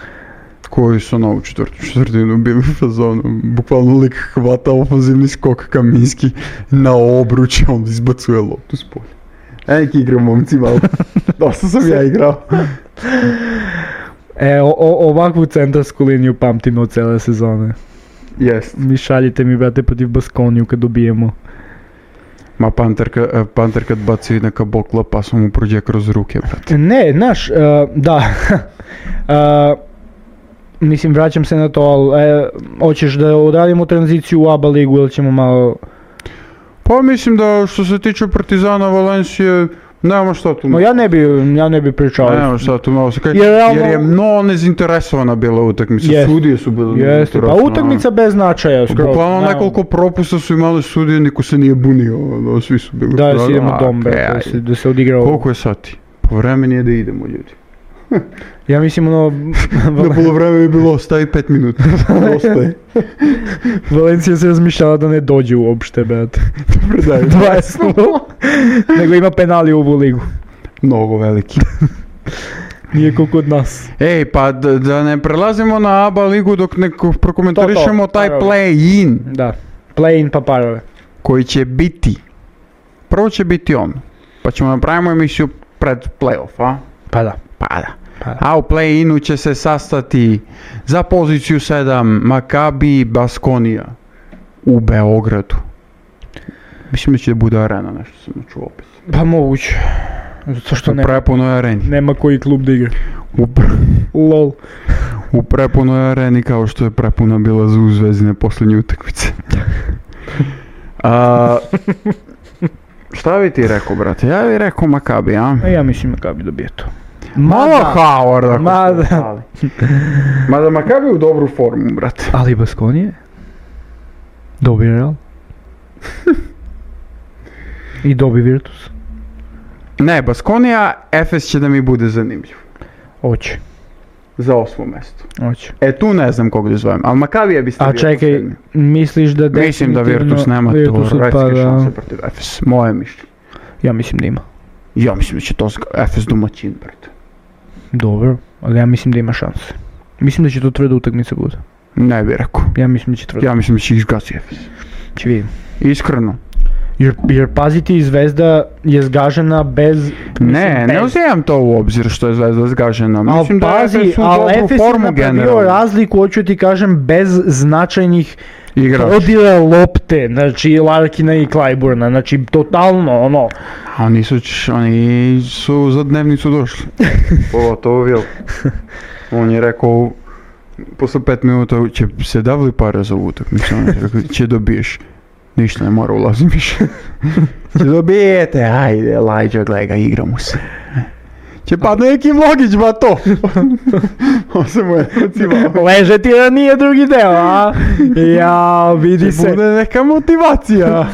Koji su u četvrtinu bili u fazonu. Bukvalno lik hvata ofenzivni skok Kaminski na obruč, on izbacuje loptu s polja. Neki igram momci malo. Dosta sam ja igrao. Ovakvu centarsku liniju pamtim od cele sezone. Jest. Mi šaljite mi, brate, protiv Baskoniju kad dobijemo. Ma Panter kad baci neka bokla pa sam mu prođe kroz ruke, brate. Ne, znaš, da. Mislim, vraćam se na to, ali hoćeš da odradimo tranziciju u ABA ligu ili ćemo malo... Pa mislim da što se tiče Partizana Valencije, nema šta tu... No, ja ne bi pričao. Nema šta tu malo se kaj, jer je mnogo nezinteresovana bila utakmica, sudije su bile nezinteresovane. Pa utakmica bez značaja. Bukvalno nekoliko propusta su imali sudije, niko se nije bunio, svi su bili... Da, si idemo dombe, da se odigrao... Koliko je sati? Po vremeni je da idemo, ljudi. Ja mislim Na polovreme je bilo, ostavi 5 minuta. Ostaje. Valencija se razmišljala da ne dođe uopšte, brate. Dobro da je. 20. Nego ima penali u ovu ligu. Mnogo veliki. Nije ko kod nas. Ej, pa da ne prelazimo na ABA ligu dok ne prokomentarišemo taj parove. play-in Da, play-in pa parove. koji će biti. Prvo će biti on, pa ćemo napravimo emisiju pred play-off, a? Pa da. Pa da. A u play-inu će se sastati za poziciju 7 Maccabi Baskonija u Beogradu. Mislim da će bude arena, nešto sam čuo opet. Pa moguće. Zato što U prepunoj areni. nema koji klub da igra. LOL. U prepunoj areni kao što je prepuna bila za Zvezdine posljednje utakmice. Šta bi ti rekao, brate? Ja bih rekao Maccabi, a? A ja mislim Maccabi dobije to. Malo Howard ako Mada. smo ostali. Mada Maccabi u dobru formu, brate. Ali Baskonije? Dobi Real. I dobi Virtus. Ne, Baskonija, Efes će da mi bude zanimljiv. Oće. Za 8. mjesto. Oće. Tu ne znam kog da zovem, ali Maccabi bi stavio. A čekaj, misliš da Mislim da Virtus nema teoretske šanse protiv Efes. Moje mišljenje. Ja mislim da ima. Ja mislim da će to Efes domaćin, brate. Dobro, ali ja mislim da ima šanse. Mislim da će to tvrda utakmica bude. Ne bih rekao. Ja mislim da će tvrda. Ja mislim da će ih zgasi Efes. Će vidim. Iskreno. Jer paziti, Zvezda je zgažena bez... Ne uzimam to u obzir što je Zvezda zgažena. Mislim da pazi, Efes u ali dobru Efes formu je napravio generalno. razliku, hoću ti kažem, bez značajnih Igrač. odira lopte, znači Larkina i Clyburna, znači totalno ono. A oni su za dnevnicu došli. Pogotovo Vil. On je rekao, posle 5 minuta će se davali pare za ovu utakmicu. On je rekao, će dobiješ. Ništa ne mora ulazim više. Će dobijete, ajde, Lajđa, gledaj ga, igramo se. Će pa neki Vlogić, ba to. On se mu je nacivao. Leže ti da nije drugi deo, a? Ja, vidi se. Će bude neka motivacija.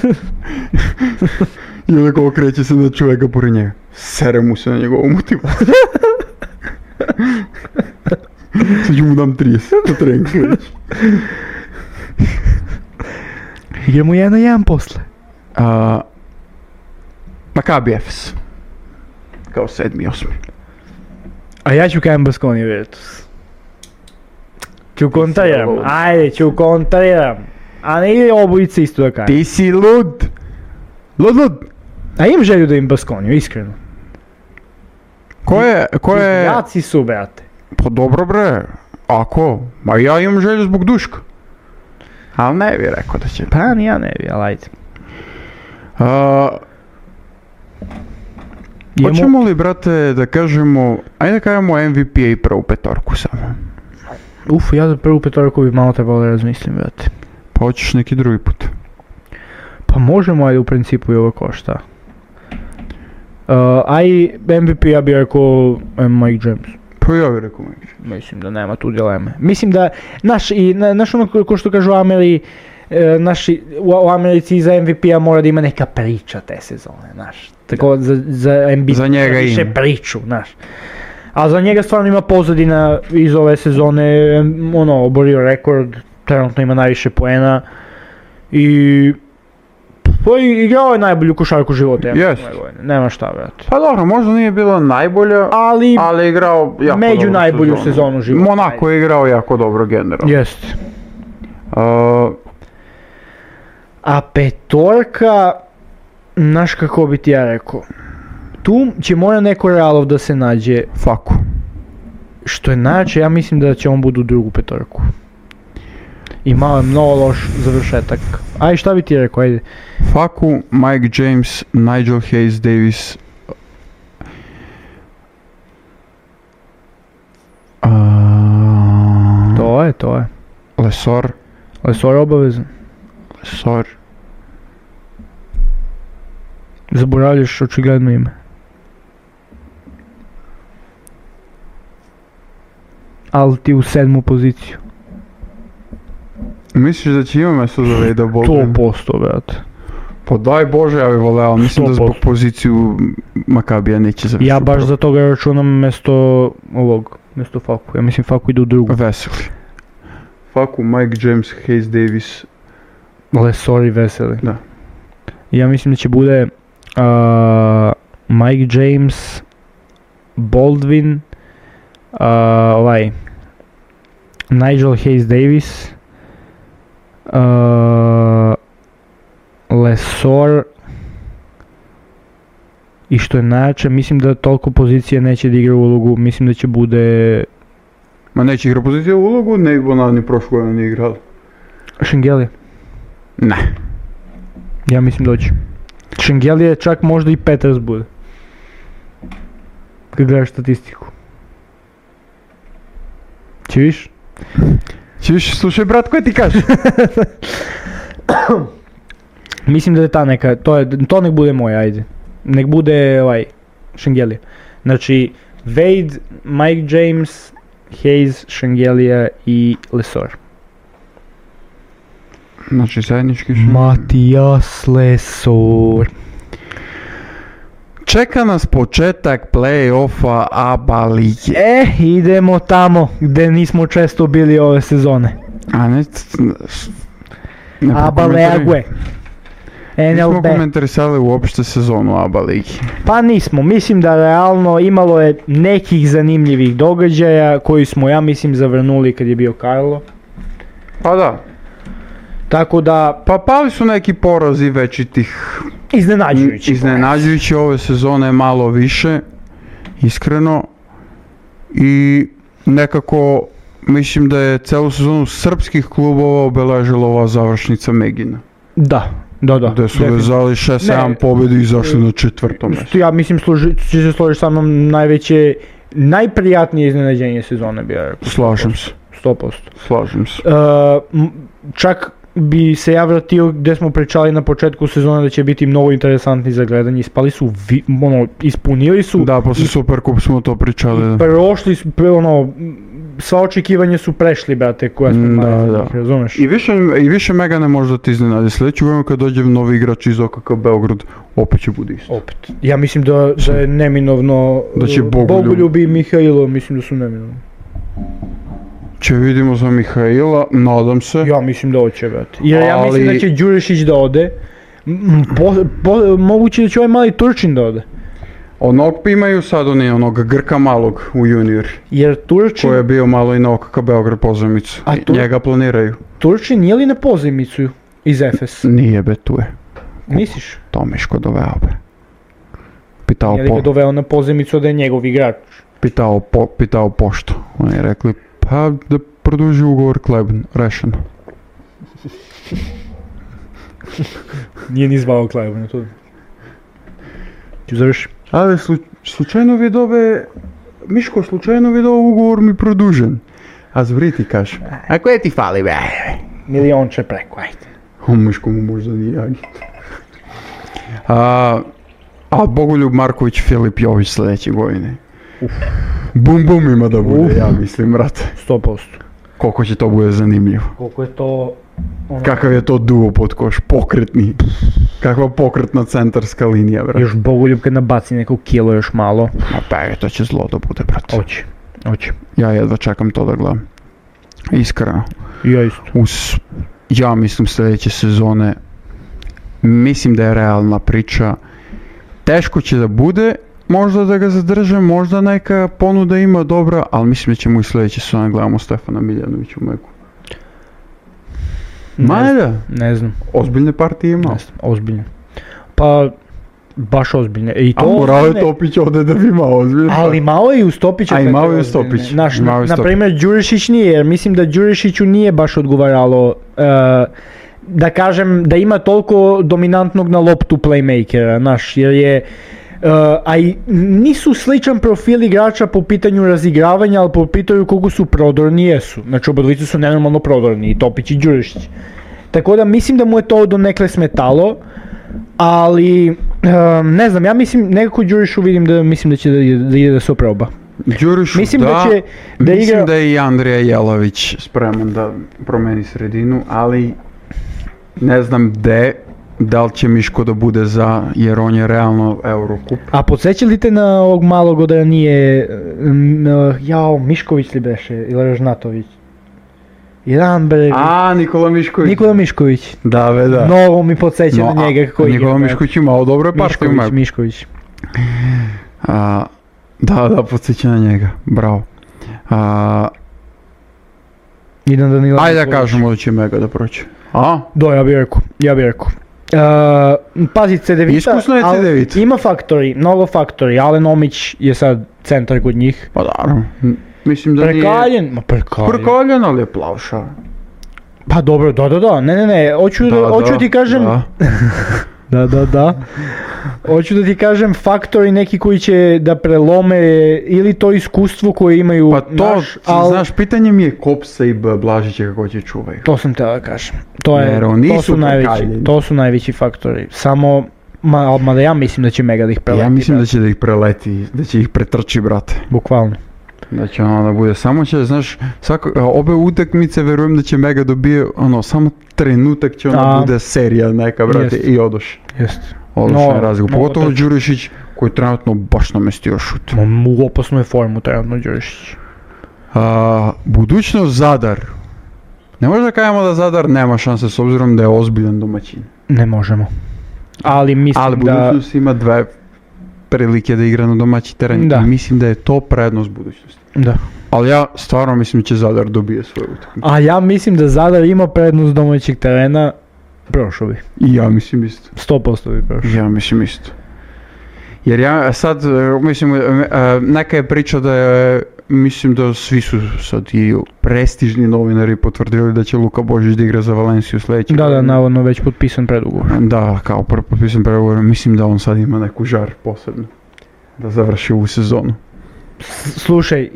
I onako okreće se na čovjeka pored njega. Sere mu se na njegovu motivaciju. Sad ću mu dam 30 na trening sljedeći. Igramo 1-1 posle. Maccabi Efes. Kao 7. 8. A ja ću kajem Baskonija Virtus. Ću kontriram, ajde, ću kontriram. A ne ide obojice isto da kajem. Ti si lud. Lud. A imam želju da im Baskoniju, iskreno. Ko je... Jaci su, brate. Pa dobro bre. Ako? Ma ja imam želju zbog Duška. Ali ne bi rekao da će. Pa ni ja ne bi, ali ajde. Hoćemo li, brate, da kažemo, ajde da kažemo MVP i prvu petorku samo. Ja za prvu petorku bi malo trebalo da razmislim, brate. Pa hoćeš neki drugi put. Pa možemo, ajde u principu i ovo košta. MVP ja bih rekao Mike James. Pa ja bih rekao Mike James. Mislim da nema tu dileme. Mislim da, naš ono ko što kažu u Americi za MVP-a mora da ima neka priča te sezone, znaš. Tako za NBA za njega više ima priču, znaš. A za njega stvarno ima pozadina iz ove sezone, oborio rekord, trenutno ima najviše poena i igrao je najbolju košarku života. Nema šta, brate. Pa dobro, možda nije bilo najbolja, ali igrao jako među najbolju sezonu života. Monako je igrao jako dobro generalno. Jeste. A petorka, znaš kako bi ti ja rekao, tu će mora neko Realov da se nađe. Faku. Što je najjače, ja mislim da će on budu drugu petorku. I malo je mnogo loš završetak. Aj, šta bi ti rekao, ajde. Faku, Mike James, Nigel Hayes Davis. To je. Lesor obavezan. Zaboravljaš očigledno ime. Ali ti u 7. poziciju. Misliš da će ima mjesto za Vejda Bogdan? 100%, brate. Pa daj Bože, ja bih voleo, ali mislim 100%. Da zbog poziciju Macabija neće završiti. Ja baš za toga računam mjesto Faku. Ja mislim Faku ide u drugu. Veseli. Faku, Mike James, Hayes Davis. Lesor i Veseli. Da. Ja mislim da će bude Mike James, Baldwin Nigel Hayes Davis, Lesor, i što je najjače, mislim da toliko pozicije neće da igra ulogu, mislim da će bude... Ma neće igra pozicija u ulogu, ne ona ni prošle godine nije igrala. Šengelija? Ne. Ja mislim da će. Šengelija čak možda i Peters bude. Kad gledaš statistiku. Čuviš? Čuviš, slušaj brat, koje ti kažeš? Mislim da je ta neka, to nek bude moj, ajde. Nek bude Šengelija. Znači, Wade, Mike James, Hayes, Šengelija i Lesor. Znači zajednički Matijas Lesor. Čeka nas početak play-offa ABA lige. Idemo tamo gdje nismo često bili ove sezone. A ne ABA League. Nismo komentarisali uopšte sezonu ABA ligi. Pa nismo, mislim da realno imalo je nekih zanimljivih događaja koji smo, ja mislim, zavrnuli kad je bio Karlo. Pa da. Tako da... Pa pali su neki porazi veći tih... Iznenađujući ove sezone malo više, iskreno. I nekako mislim da je celu sezonu srpskih klubova obeležila ova završnica Megina. Da. Gde su vezali 6-7 pobjedi i izašli na 4. mjesto. Ja mislim, će se složiti sa mnom, najprijatnije iznenađenje sezone bi ja rekao. Slažem se. 100%. Slažem se. Čak bi se ja vratio gdje smo pričali na početku sezone da će biti mnogo interesantni za gledanje. Ispali su, ispunili su. Da, posle Superkup smo to pričali. Prošli su, sva očekivanja su prešli, brate, koja smo imali, razumeš? I više mega ne može da ti iznenadi. Sljedeću godinu kad dođe novi igrač iz OKK Beograd, opet će bude isto. Opet. Ja mislim da je neminovno, da će Bogoljub i Mihajlo, mislim da su neminovni. Će vidimo za Mihajla, nadam se. Ja mislim da hoće, brate. Jer ja mislim da će Đurišić da ode. Moguće da će ovaj mali Turčin da ode. Onog imaju sad onog Grka malog u junior. Jer Turčin... Koji je bio malo i na OKK Beograd pozajmicu. Njega planiraju. Turčin nije li na pozajmicu iz Efes? Nije, be, tu je. Misliš? Tomiško doveo, be. Je li ga doveo na pozajmicu da je njegov igrač? Pitao pošto. Oni je rekli, pa da produži ugovor Kleben, rešeno. Nije ni zvao Kleben, to... Ću završi. Ali slučajno vidove, Miško, slučajno vidove ugovor mi produžen. A zvri ti kaže, a koje ti fali, be? Milionče preko, ajde. O, Miško mu možda nije agit. A Bogoljub Marković, Filip Jović sljedeće godine. Bum ima da bude, ja mislim, brate. 100%. Koliko će to bude zanimljivo. Koliko je to... Kakav je to duo pod koš, pokretni. Kakva pokretna centarska linija, brate. Još Bogoljub kad nabaci neko kilo još malo. Ma pa to će zlo da bude, brate. Hoće. Ja jedva čekam to da gledam. Iskreno. Ja isto. Ja mislim sljedeće sezone, mislim da je realna priča. Teško će da bude, možda da ga zadrže, možda neka ponuda ima dobra, ali mislim da ćemo i sljedeće sezone gledamo Stefana Miljanovića u Meku. Ne znam. Ozbiljne partije ima? Ne znam, ozbiljne. Pa, baš ozbiljne. A morao je Topić ovdje da bi imao ozbiljne. Ali malo je i uz Topića. A i malo je uz Topić. Naprimjer, Đurišić nije, jer mislim da Đurišiću nije baš odgovaralo, da kažem, da ima toliko dominantnog na loptu playmakera, jer je... a i nisu sličan profil igrača po pitanju razigravanja, ali po pitanju koliko su prodorni jesu. Znači obodvicu su nenormalno prodorni, i Topić i Đurišić. Tako da mislim da mu je to donekle smetalo, ali ne znam, ja mislim, nekako Đurišu vidim da će da ide da se oproba. Đurišu mislim da je i Andrija Jelavić spreman da promeni sredinu, ali ne znam da li će Miško da bude za, jer on je realno Eurocup. A podsjeća li te na ovog malog da nije, Mišković li beše, ili Ražnatović? Nikola Mišković. Da, be, da. Novo mi podsjeća na njega kako igra. Nikola Mišković ima dobro partiju. Mišković. Da, podsjeća na njega, bravo. Idem Danila. Ajde da kažemo da će Mega da proći. A? Da, ja bi rekao. Pazi, Cedevita, Iskusno je Cedevita. Ima faktori, mnogo faktori. Alen Omić je sad centar kod njih. Pa naravno. Mislim da Prekaljen. Prekaljen, ali je plavša. Pa dobro, da. Ne. Hoću ti kažem... Da. Hoću da ti kažem faktori neki koji će da prelome ili to iskustvo koje imaju pa to, znaš, pitanje mi je Kopsa i Blažića kako će čuvaju. To sam teo da kažem. To su najveći faktori. Samo, mada ja mislim da će Mega da ih preleti. Ja mislim da će da ih preleti, da će ih pretrči, brate. Bukvalno. Da će ono da bude, samo će, znaš, obe utakmice verujem da će Mega dobije, samo trenutak će bude serija neka, brate, i odoš. Jeste. Odličan razgovor, pogotovo Đurišić koji trenutno baš namestio šut. U opasnoj formu trenutno Đurišić. Budućnost Zadar. Ne možda kažemo da Zadar nema šanse s obzirom da je ozbiljan domaćin. Ne možemo. Ali mislim ali budućnost ima dve prilike da igra na domaći teren i mislim da je to prednost budućnosti. Da. Ali ja stvarno mislim da će Zadar dobije svoju utakmicu. A ja mislim da Zadar ima prednost domaćeg terena. Prošao bi. I ja mislim isto. 100% bi prošao. Ja mislim isto. Jer ja sad, mislim, neka je priča da je, mislim da svi su sad i prestižni novinari potvrdili da će Luka Božić da igra za Valenciju sljedeće. Da, navodno već potpisan predugovor. Da, kao potpisan predugovor. Mislim da on sad ima neku žar posebno da završi ovu sezonu. Slušaj,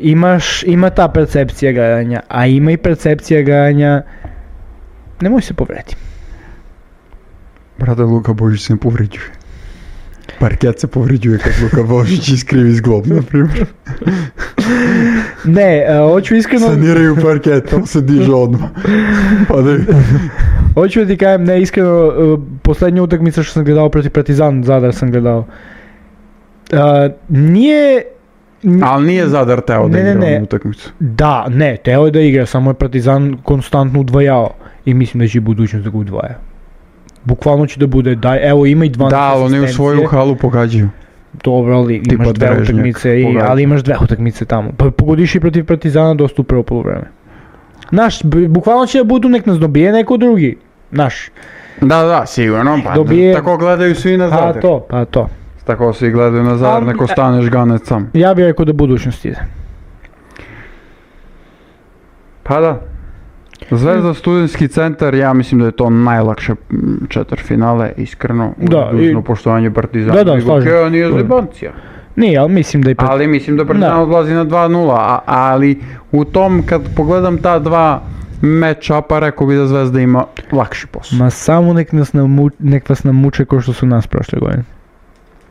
ima ta percepcija garanja, a ima i percepcija garanja, nemoj se povrediti. Brada, Luka Božić se ne povređuje. Parket se povređuje kad Luka Božić iskrivi zglob, na primjer. Ne, hoću iskreno... Saniraju parket, on se diže odmah. Hoću da ti kajem, ne, iskreno, posljednja utakmica što sam gledao protiv Partizan, Zadar sam gledao. Ali nije Zadar teo da igra ovu utakmicu. Da, ne, teo je da igra, samo je Partizan konstantno udvajao. I mislim da će i budućnost da ga udvaja. Bukvalno će da bude, evo ima i 12 asistencije. Da, oni u svoju halu pogađaju. Dobro, ali imaš dve utakmice, ali imaš dve utakmice tamo. Pa pogodiš i protiv Partizana dosta u prvo poluvreme. Znaš, bukvalno će da budu nek nas dobije neko drugi. Znaš. Da, sigurno, pa tako gledaju svi na Zadar. Pa to. Tako svi gledaju na Zadar, neko staneš ganec sam. Ja bih rekao da budućnost ide. Pa da. Zvezda Studentski centar, ja mislim da je to najlakše četvrtfinale, iskreno, uz dužno poštovanje Partizana. Da, slažem. Nije zebancija. Nije, ali mislim da Ali mislim da Partizan odlazi na 2-0, ali u tom, kad pogledam ta dva match-upa, rekao bi da Zvezda ima lakši posao. Ma samo nek vas namuče kao što su nas prošle godine.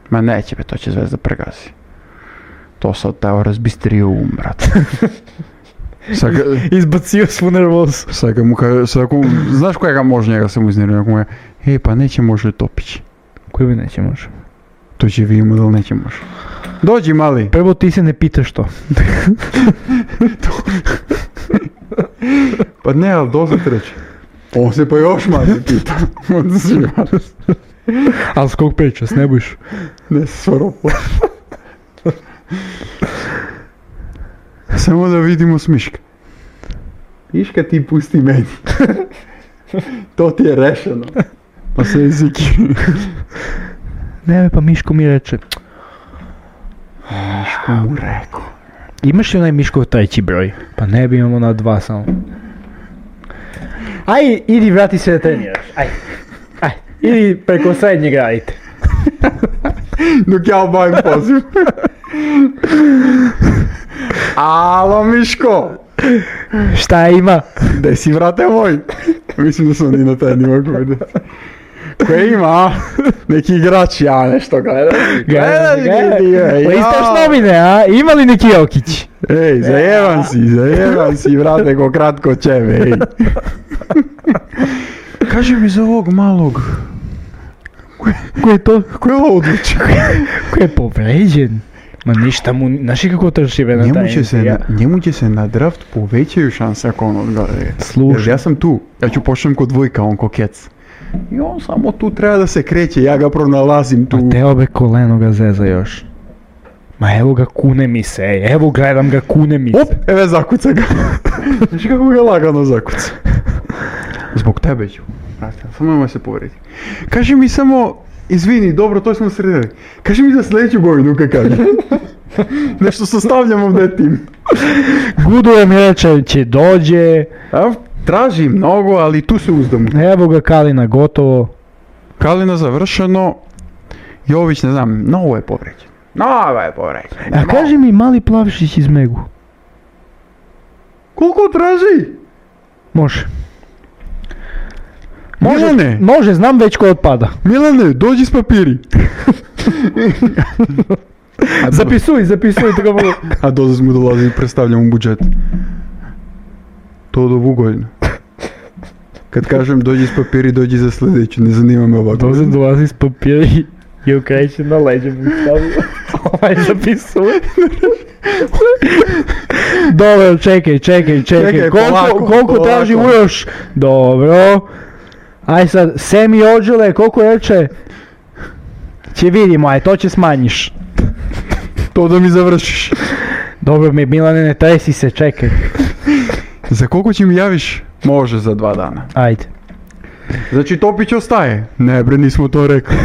Ma neće be, to će Zvezda pregazi. To sad teo razbistrio brate. Izbacio svu nervozu. Znaš kojega može njega se mu iznervio? Pa neće može Topić. Koji bi neće može? To će vidimo da li neće može. Dođi mali. Prvo ti se ne pitaš to. Pa ne, ali dozad reći. On se pa još manje pita. Ali s kog priča, s Nebojš? Ne, s Svoropla. Samo da vidimo Smiška. Miška ti pusti meni. To ti je rešeno. Pa se jeziki. Ne, pa Miško mi reče. Miško mu rekao. Imaš li onaj Miškov treći broj? Pa ne bi imamo na 2 samo. Aj, idi vrati se da treniraš. Aj, idi preko srednjeg radite. Dok ja obavim poziv. Alo Miško! Šta ima? Gdje si vrate moj? Mislim da sam ni na taj nivo gledao. Koje ima? Neki igrač, ja nešto gledam. Listaš novine, a? Ima li neki Jokić? Ej, zajeban si, vrate, ko kratko ćebe, ej. Kaži mi za ovog malog. Ko je to? Ko je odličan? Ko je povređen? Ma ništa mu, znaš i kako trši na taj njemu će se na draft povećaju šanse ako on odgledaju. Slušaj. Ja sam tu, ja ću počnem kod dvojka, on ko kec. I on samo tu treba da se kreće, ja ga pronalazim tu. A te obe koleno ga zeza još. Ma evo ga, kune mi se, evo gledam ga, kune mi se. Op, eve zakuca ga. Znaš kako ga lagano zakuca. Zbog tebe ću. Brate, samo nemoj se povredi. Kaži mi samo, izvini, dobro, to smo sredili. Kaži mi za sljedeću godinu, kaj kaže. Nešto sastavljamo ovdje tim. Gudujem reče, će dođe. Traži mnogo, ali tu se uzdamo. Evo ga, Kalina gotovo. Kalina završeno. Jović, ne znam, novo je povređen. A kaži mi, mali Plavšić iz Megu. Koliko traži? Može. Milane! Može, znam već ko otpada. Milane, dođi s papiri. Zapisuj, treba... A doza smo dolazili i predstavljamo budžet. To do ovu godinu. Kad kažem dođi s papiri, dođi za sljedeću, ne zanima me ovako. Doza dolazi s papiri i okreće na leđe mi stavio. Zapisuj. Dobro, čekaj. Koliko traži Uroš? Dobro. Aj sad, Semi Ođele, koliko reče? Će vidimo, aj, to će smanjiš. To da mi završiš. Dobro mi, Milane, ne tresi se, čekaj. Za koliko će mi javiš? Može za 2 dana. Ajde. Znači Topić ostaje? Ne bre, nismo to rekli.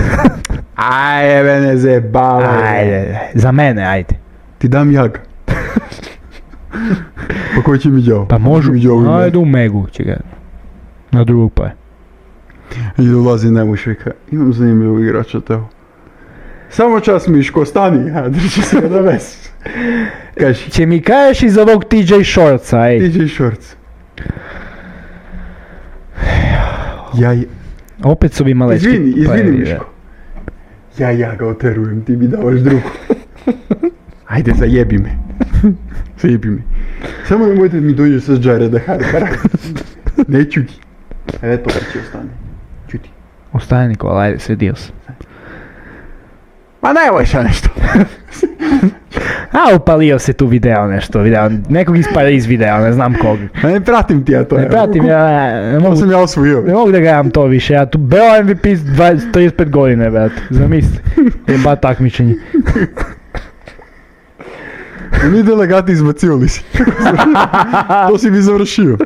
Ajde, ne zebavaj. Ajde, za mene, ajde. Ti dam jaga. Pa koji će mi đavo? Pa možu, ajde u Megu će ga. Na drugog pa je. I dolazi Nemušvika. Imam zanimljivu igrača teo. Samo čas Miško, stani. Drži se da ves. Kaži. Će mi kažeš iz ovog TJ Shortsa, ej. TJ Shorts. Opet su bi malečki. Izvini Miško. Ja ga oterujem, ti mi davaš drugu. Ajde, zajebi me. Samo nemojte mi dođe sa Jareda Harpera. Ne čuti. Eto, će ostane. Čuti. Ostane Nikola, ajde, svedio sam. Ma nemoj sad nešto. A, upalio se tu video, nekog iz videa, ne znam kog. Ne pratim ti ja to. Ne pratim, ne mogu. To sam ja osvojio. Ne mogu da gledam to više, ja tu beo MVP 35 godine, brate, zamisli. Jeba takmičenje. Oni delegati izbacivali si. To si mi završio.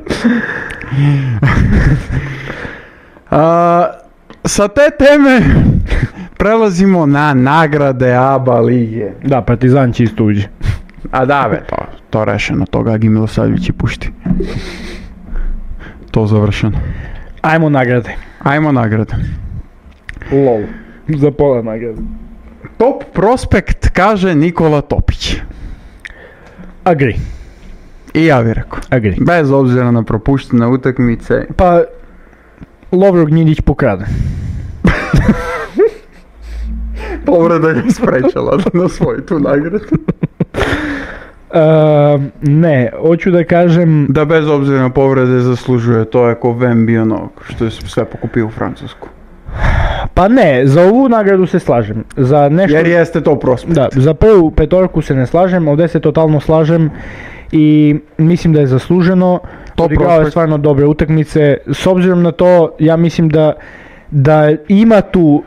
Sa te teme prelazimo na nagrade ABA lige. Da, Partizan će istuđi. A da be, to rešeno, to Gagi Milosavljević pušti. To završeno. Ajmo nagrade. Lol. Za pola nagrade. Top prospekt kaže Nikola Topić. Agri. I ja bih rekao. Agri. Bez obzira na propuštene utakmice. Pa, Lovro Gnjidić pokrade. Povreda ga sprečala da osvoji tu nagradu. Ne, hoću da kažem... Da bez obzira na povrede zaslužuje, to je ko Wemby ono, što je sve pokupio u Francusku. Pa ne, za ovu nagradu se slažem. Za nešto... Jer jeste to prospekt. Da, za prvu petorku se ne slažem, ovdje se totalno slažem i mislim da je zasluženo. Odigrao je stvarno dobre utakmice. S obzirom na to, ja mislim da ima tu...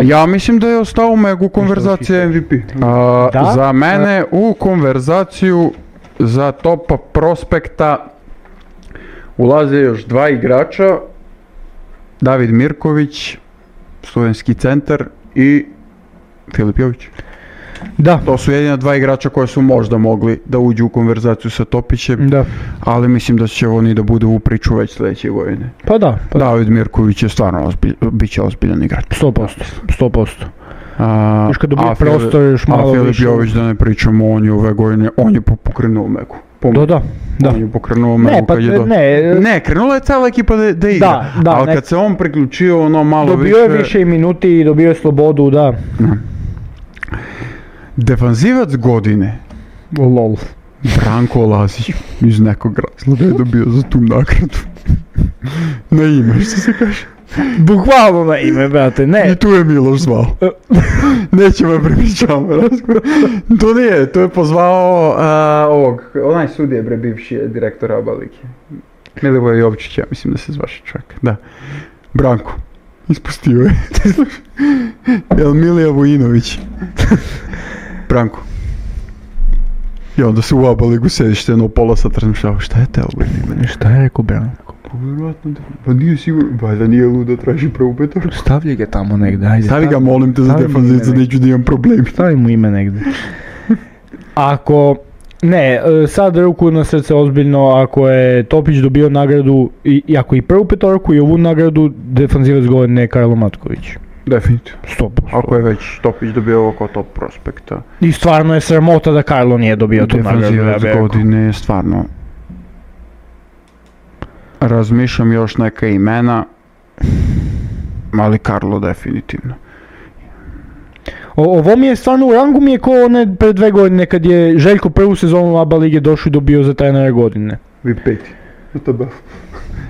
Ja mislim da je ostao u Megu konverzacija MVP. Za mene u konverzaciju za top prospekta ulaze još 2 igrača. David Mirković, studentski centar, i Filip Jović. Da. To su jedina 2 igrača koje su možda mogli da uđu u konverzaciju sa Topićem, da. Ali mislim da će oni da budu u priču već sljedeće godine. Pa da. David Mirković je stvarno bit će ozbiljan igrač. 100%. Još kad dobije prostor još malo više. A Filip Jović, da ne pričamo, on je ove godine, on je pokrenuo Megu. Da. On je pokrenuo Megu kad je Ne, krenula je cijela ekipa da igra, ali kad se on priključio ono malo više... Dobio je više minuti i dobio je slobodu, da. Defanzivac godine. Lol. Branko Lazić iz nekog razloga je dobio za tu nagradu. Na ime, što se kaže? Bukvalno na ime, brate, ne. I tu je Miloš zvao. Nećemo prepričavamo razgovor. To je pozvao onaj sudije bre bivši direktor ABA lige. Milivoj Jovčić, ja mislim da se zvaše čovjek, da. Branko. Ispustio je. Jel Milija Vujinović? Branko, I onda se u ABA ligu sedište jedno pola sata razmišljao, šta je te ovo? Šta je rekao Branko? Pa vjerojatno, pa nije sigurno, valjda nije ludo, traži prvu petorku. Stavlji ga tamo negdje, ajde. Stavi ga, molim te, za defanzivca, neću da imam problemi. Stavi mu ime negdje. Ako, ne, sad ruku na srce ozbiljno, ako je Topić dobio nagradu, i ako i prvu petorku i ovu nagradu, defanzivac godine je Karlo Matković. Definitivno. 100%. Ako je već Topić dobio ovo kao top prospekta. I stvarno je sramota da Karlo nije dobio tu nagradu. Defanzivac godine je stvarno. Razmišljam još neka imena, ali Karlo definitivno. Ovo mi je stvarno u rangu mi je ko one pre 2 godine kad je Željko prvu sezonu ABA lige došao i dobio za trenera godine. Vi peti.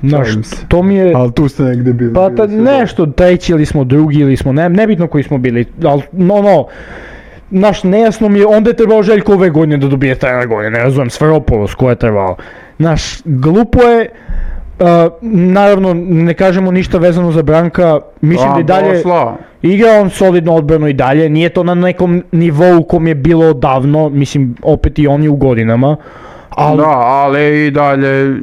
Znaš, to mi je... Ali tu ste negdje bili. Pa nešto, treći ili smo drugi ili smo, nebitno koji smo bili, ali znaš, nejasno mi je, onda je trebao Željko ove godine da dobije trener godine, ne razumijem, Sferopolos ko je trebao. Znaš, glupo je, naravno ne kažemo ništa vezano za Branka, mislim da i dalje igra on solidno odbranu i dalje, nije to na nekom nivou kom je bilo odavno, mislim opet i oni u godinama. Da, ali i dalje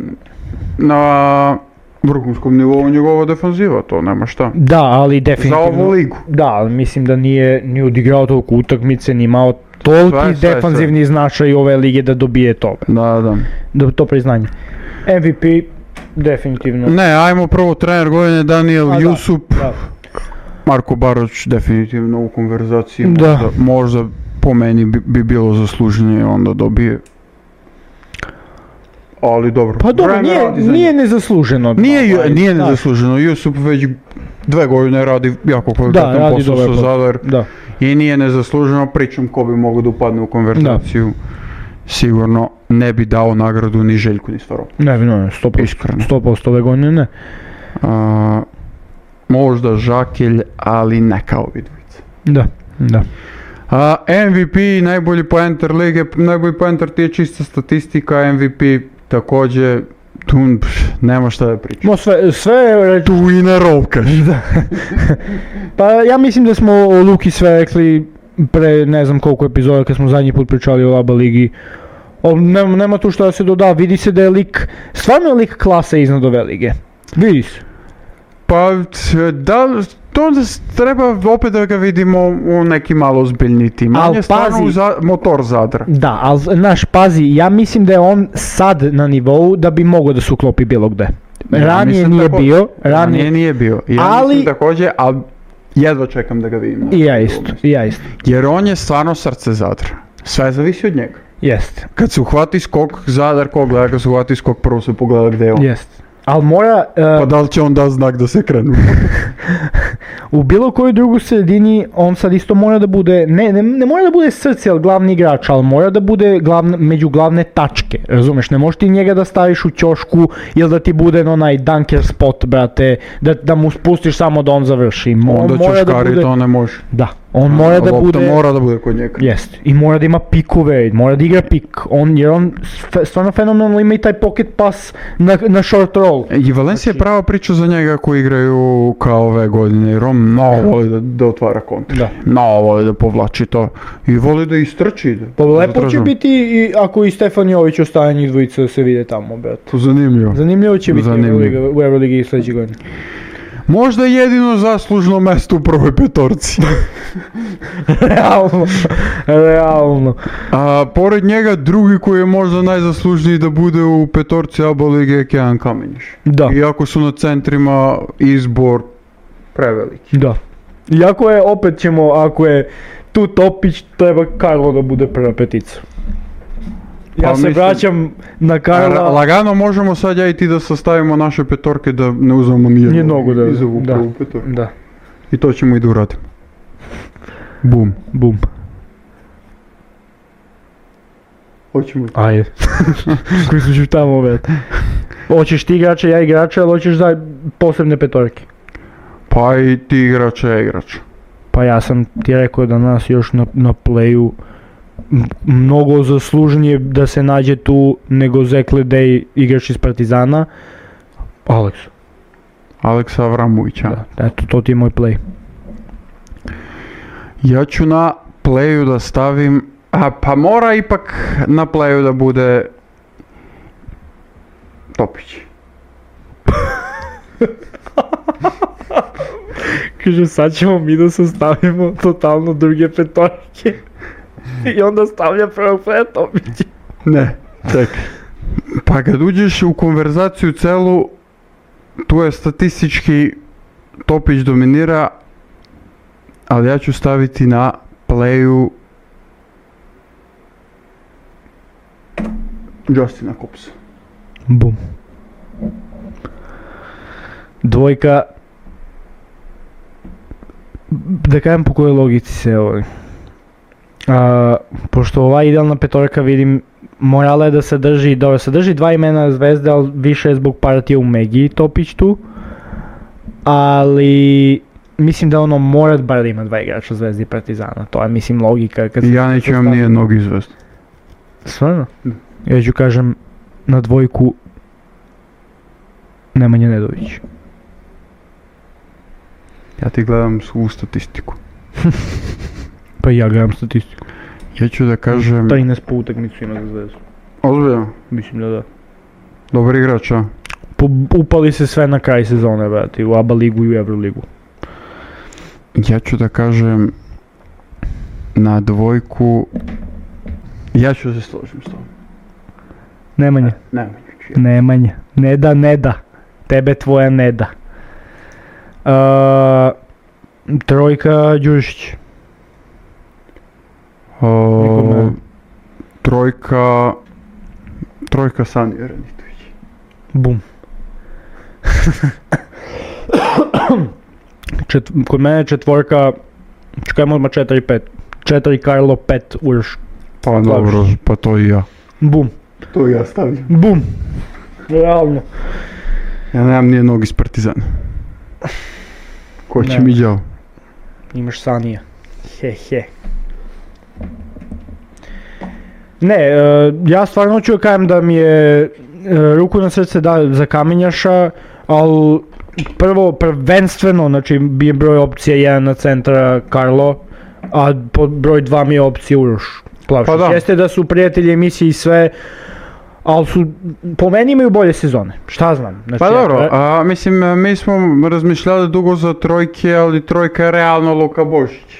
na vrhunskom nivou njegova defanziva, to nema šta. Da, ali definitivno. Za ovu ligu. Da, ali mislim da nije ni odigrao toliko utakmice, ni imao toliki defanzivni značaj ove lige da dobije toga. Da, to priznanje. MVP, definitivno. Ne, ajmo prvo trener godine Daniel Jusup. Da. Marko Baroć definitivno u konverzaciji. Možda po meni bi bilo zasluženije onda dobije. Ali dobro. Pa dobro, nije nezasluženo. Nije nezasluženo. Jusup već 2 godine radi jako kvalitetan posao sa Zadar. I nije nezasluženo, pričam ko bi mogao da upadne u konverzaciju. Sigurno ne bi dao nagradu ni Željku ni Stvarov. Ne, 100% ove godine ne. Možda Žakelj, ali ne kao vidvica. Da. MVP, najbolji poenter lige, najbolji poenter ti je čista statistika, MVP također, tu nema šta da pričam. Sve tu i ne rovkaš. Pa ja mislim da smo o Luki sve rekli pre ne znam koliko epizoda kad smo zadnji put pričali o ABA ligi. Nema tu šta da se doda, vidi se da je lik, stvarno je lik klase iznad ove lige. Vidi se. Pa da, to treba opet da ga vidimo u neki malo ozbiljni tim. On je stvarno motor Zadra. Da, ali znaš, pazi, ja mislim da je on sad na nivou da bi mogao da se uklopi bilo gde. Ranije nije bio. Ja mislim također, ali jedva čekam da ga vidim. I ja isto. Jer on je stvarno srce Zadra. Sve zavisi od njega. Jest. Kad se uhvati skok Zadar, ko gleda, kad se uhvati skok prvo se pogleda gde je on. Jest. Ali mora... Pa da li će on da znak da se krenu? U bilo kojoj drugoj sredini on sad isto mora da bude, ne mora da bude srce, ali glavni igrač, ali mora da bude među glavne tačke, razumeš? Ne možeš ti njega da staviš u ćošku ili da ti bude onaj dunker spot, brate, da mu spustiš samo da on završi. Onda ćoškari to ne može. Da. On mora da bude... mora da bude kod njega. Jest. I mora da ima pikove, mora da igra pik. Jer on stvarno fenomenalno ima i taj pocket pass na short roll. I Valencia je prava priča za njega koji igraju kao ove godine. Jer on mnogo voli da otvara kontra. Mnogo voli da povlači to. I voli da istrči. Pa lepo će biti i ako i Stefan Jović ostane njih dvojica da se vide tamo, brate. Zanimljivo. Zanimljivo će biti u Euroligi sljedeće godine. Možda jedino zaslužno mesto u prvoj petorci. Realno. A pored njega drugi koji je možda najzaslužniji da bude u petorci ABA lige je Kejan Kamenjiš. Da. Iako su na centrima izbor preveliki. Da. Iako je, opet ćemo, ako je tu Topić, treba Karlo da bude prva petica. Ja se vraćam na Karla. Lagano možemo sad ja i ti da sastavimo naše petorke da ne uzmemo nijednog iz ovu prvu petorku. Da. I to ćemo i da uradimo. Bum. Hoćemo. Ajde. Koji su tamo, već. Hoćeš ti igrača, ja igrača, ali hoćeš za posebne petorke? Pa i ti igrača, ja igrača. Pa ja sam ti rekao da nas još na playu mnogo zaslužnije da se nađe tu nego Zekle Dej, igrač iz Partizana. Aleksa Avramovića. Da, eto, to ti je moj play. Ja ću na playu da stavim Pa mora ipak na playu da bude Topić. Kaže, sad ćemo mi da sastavimo totalno druge petorke. I onda stavlja prvog pre Topića. Ne, čekaj. Pa kad uđeš u konverzaciju celu, tu je statistički Topić dominira, ali ja ću staviti na playu Justina Kopsa. Bum. Dvojka. Da kažem po kojoj logici se ovo. Pošto ova idealna petorka vidim, morala je da sadrži, dobro, sadrži dva imena Zvezde, ali više je zbog partije u Megi Topić tu. Ali mislim da ono mora bar da ima dva igrača Zvezde i Partizana, to je mislim logika. Kad Ja neću imam nije nogi Zvezde. Stvarno? Ja ću kažem na dvojku Nemanja Nedović. Ja ti gledam svu statistiku. Pa i ja gledam statistiku. Ja ću da kažem... 13 po utakmicu ima za Zvezdu. Ozbiljno? Mislim da da. Dobar igrač, a? Upali se sve na kraj sezone, brate, u ABA ligu i u Euroligu. Ja ću da kažem na dvojku... Ja ću se složim s tobom. Nemanja. Nemanja. Ne da. Tebe tvoja ne da. Trojka Đurišić. Trojka Sani Raditović. Bum. Kod mene četvorka, čekajmo odmah 4-5. 4 Karlo, 5 Uroš. Pa dobro, pa to i ja. Bum. To i ja stavljam. Bum. Realno. Ja nemam nijednog iz Partizana. Ko će mi đavo? Imaš Sanija. He. Ne, ja stvarno ću kažem da mi je ruku na srce da za Kamenjaša, ali prvenstveno, znači bi je broj opcija 1 na centra Karlo, a broj 2 mi je opcija Uroš Plavšić. Pa da. Jeste da su prijatelji emisije i sve, ali su, po meni imaju bolje sezone, šta znam. Znači, Pa dobro, mislim, mi smo razmišljali dugo za trojke, ali trojka je realno Luka Božić.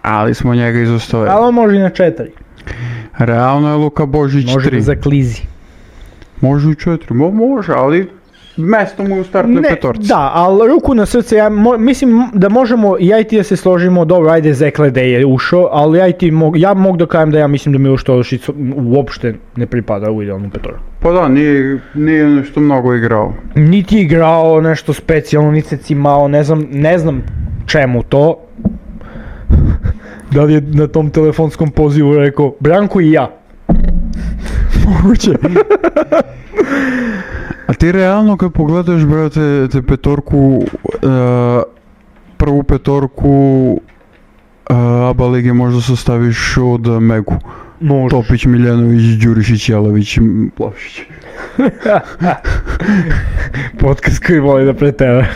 Ali smo njega izostavili. Ali on može i na 4. Realno je Luka Božić 3. Može da zaklizi. Može i 4, može, ali mesto mu je u startnoj petorci. Da, ali ruku na srce, mislim da možemo, ja i ti da se složimo, dobro, ajde Zeklede je ušao, ali ja mogu da kažem da ja mislim da Miloš Todosić uopšte ne pripada u idealnu petorku. Pa da, nije nešto mnogo igrao. Niti igrao nešto specijalno, niti se cimao, ne znam čemu to. Da li je na tom telefonskom pozivu rekao, Branko i ja. Moguće. A ti realno kad pogledaš, brate, te petorku, prvu petorku ABA lige možda sastaviš od Megu. Možeš. Topić, Miljanović, Đurišić, Jelavić, Plavšić. Podcast koji voli da pretera.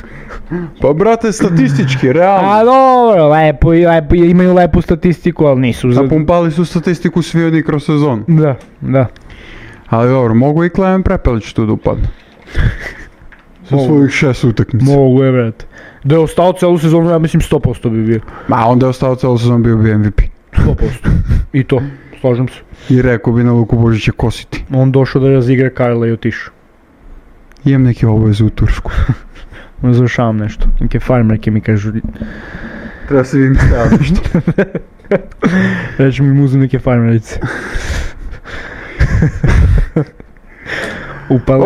Pa brate, statistički, realno. A dobro, lepo, imaju lepu statistiku, ali nisu. Napumpali su statistiku svi oni kroz sezon. Da. Ali dobro, mogu i Klemen Prepelić tu da upadne. Sa svojih 6 utakmica. Mogu je, brate. Da je ostao celu sezonu, ja mislim 100% bi bio. Onda je ostao celu sezonu, bio bi MVP. 100%. I to, slažem se. I rekao bi na Luku Božića kositi. On došao da razigra Karla i otišao. Imam neke obaveze u Tursku. Završavam nešto. Neke farmerke mi kažu. Treba se vidim staviti nešto. Reći mi uzem neke farmerice. Upali.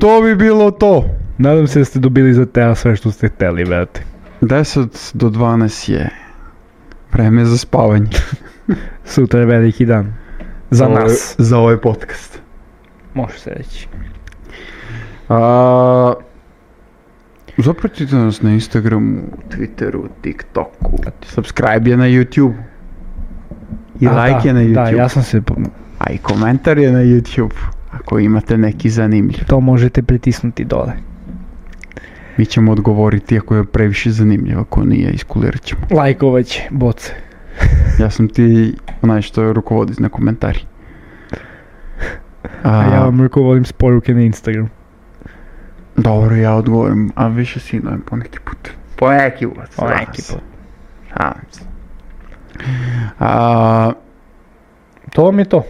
To bi bilo to. Nadam se da ste dobili za tela sve što ste hteli, brate. 10 do 12 je vreme za spavanje. Sutra je veliki dan. Za nas. Za ovaj podcast. Može se reći. Zapratite nas na Instagramu, Twitteru, TikToku. Subscribe je na YouTube. I like je na YouTube. Da, ja sam se... A i komentar je na YouTube. Ako imate neki zanimljiv. To možete pritisnuti dole. Mi ćemo odgovoriti ako je previše zanimljiv, ako nije, iskulirat ćemo. Lajkovat će, boce. Ja sam ti onaj što rukovodi na komentari. A ja vam rukovodim s poruke na Instagram. Dobro, ja odgovorim, a više sinujem poneki put. Poneki put. To vam je to.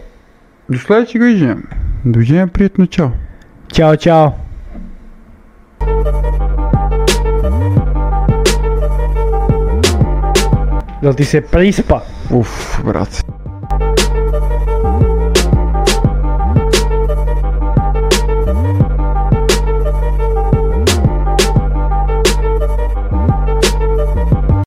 Do sljedećeg viđenja. Doviđenja, prijetno, čao. Ćao. Da ti se prispa? Uf, brat.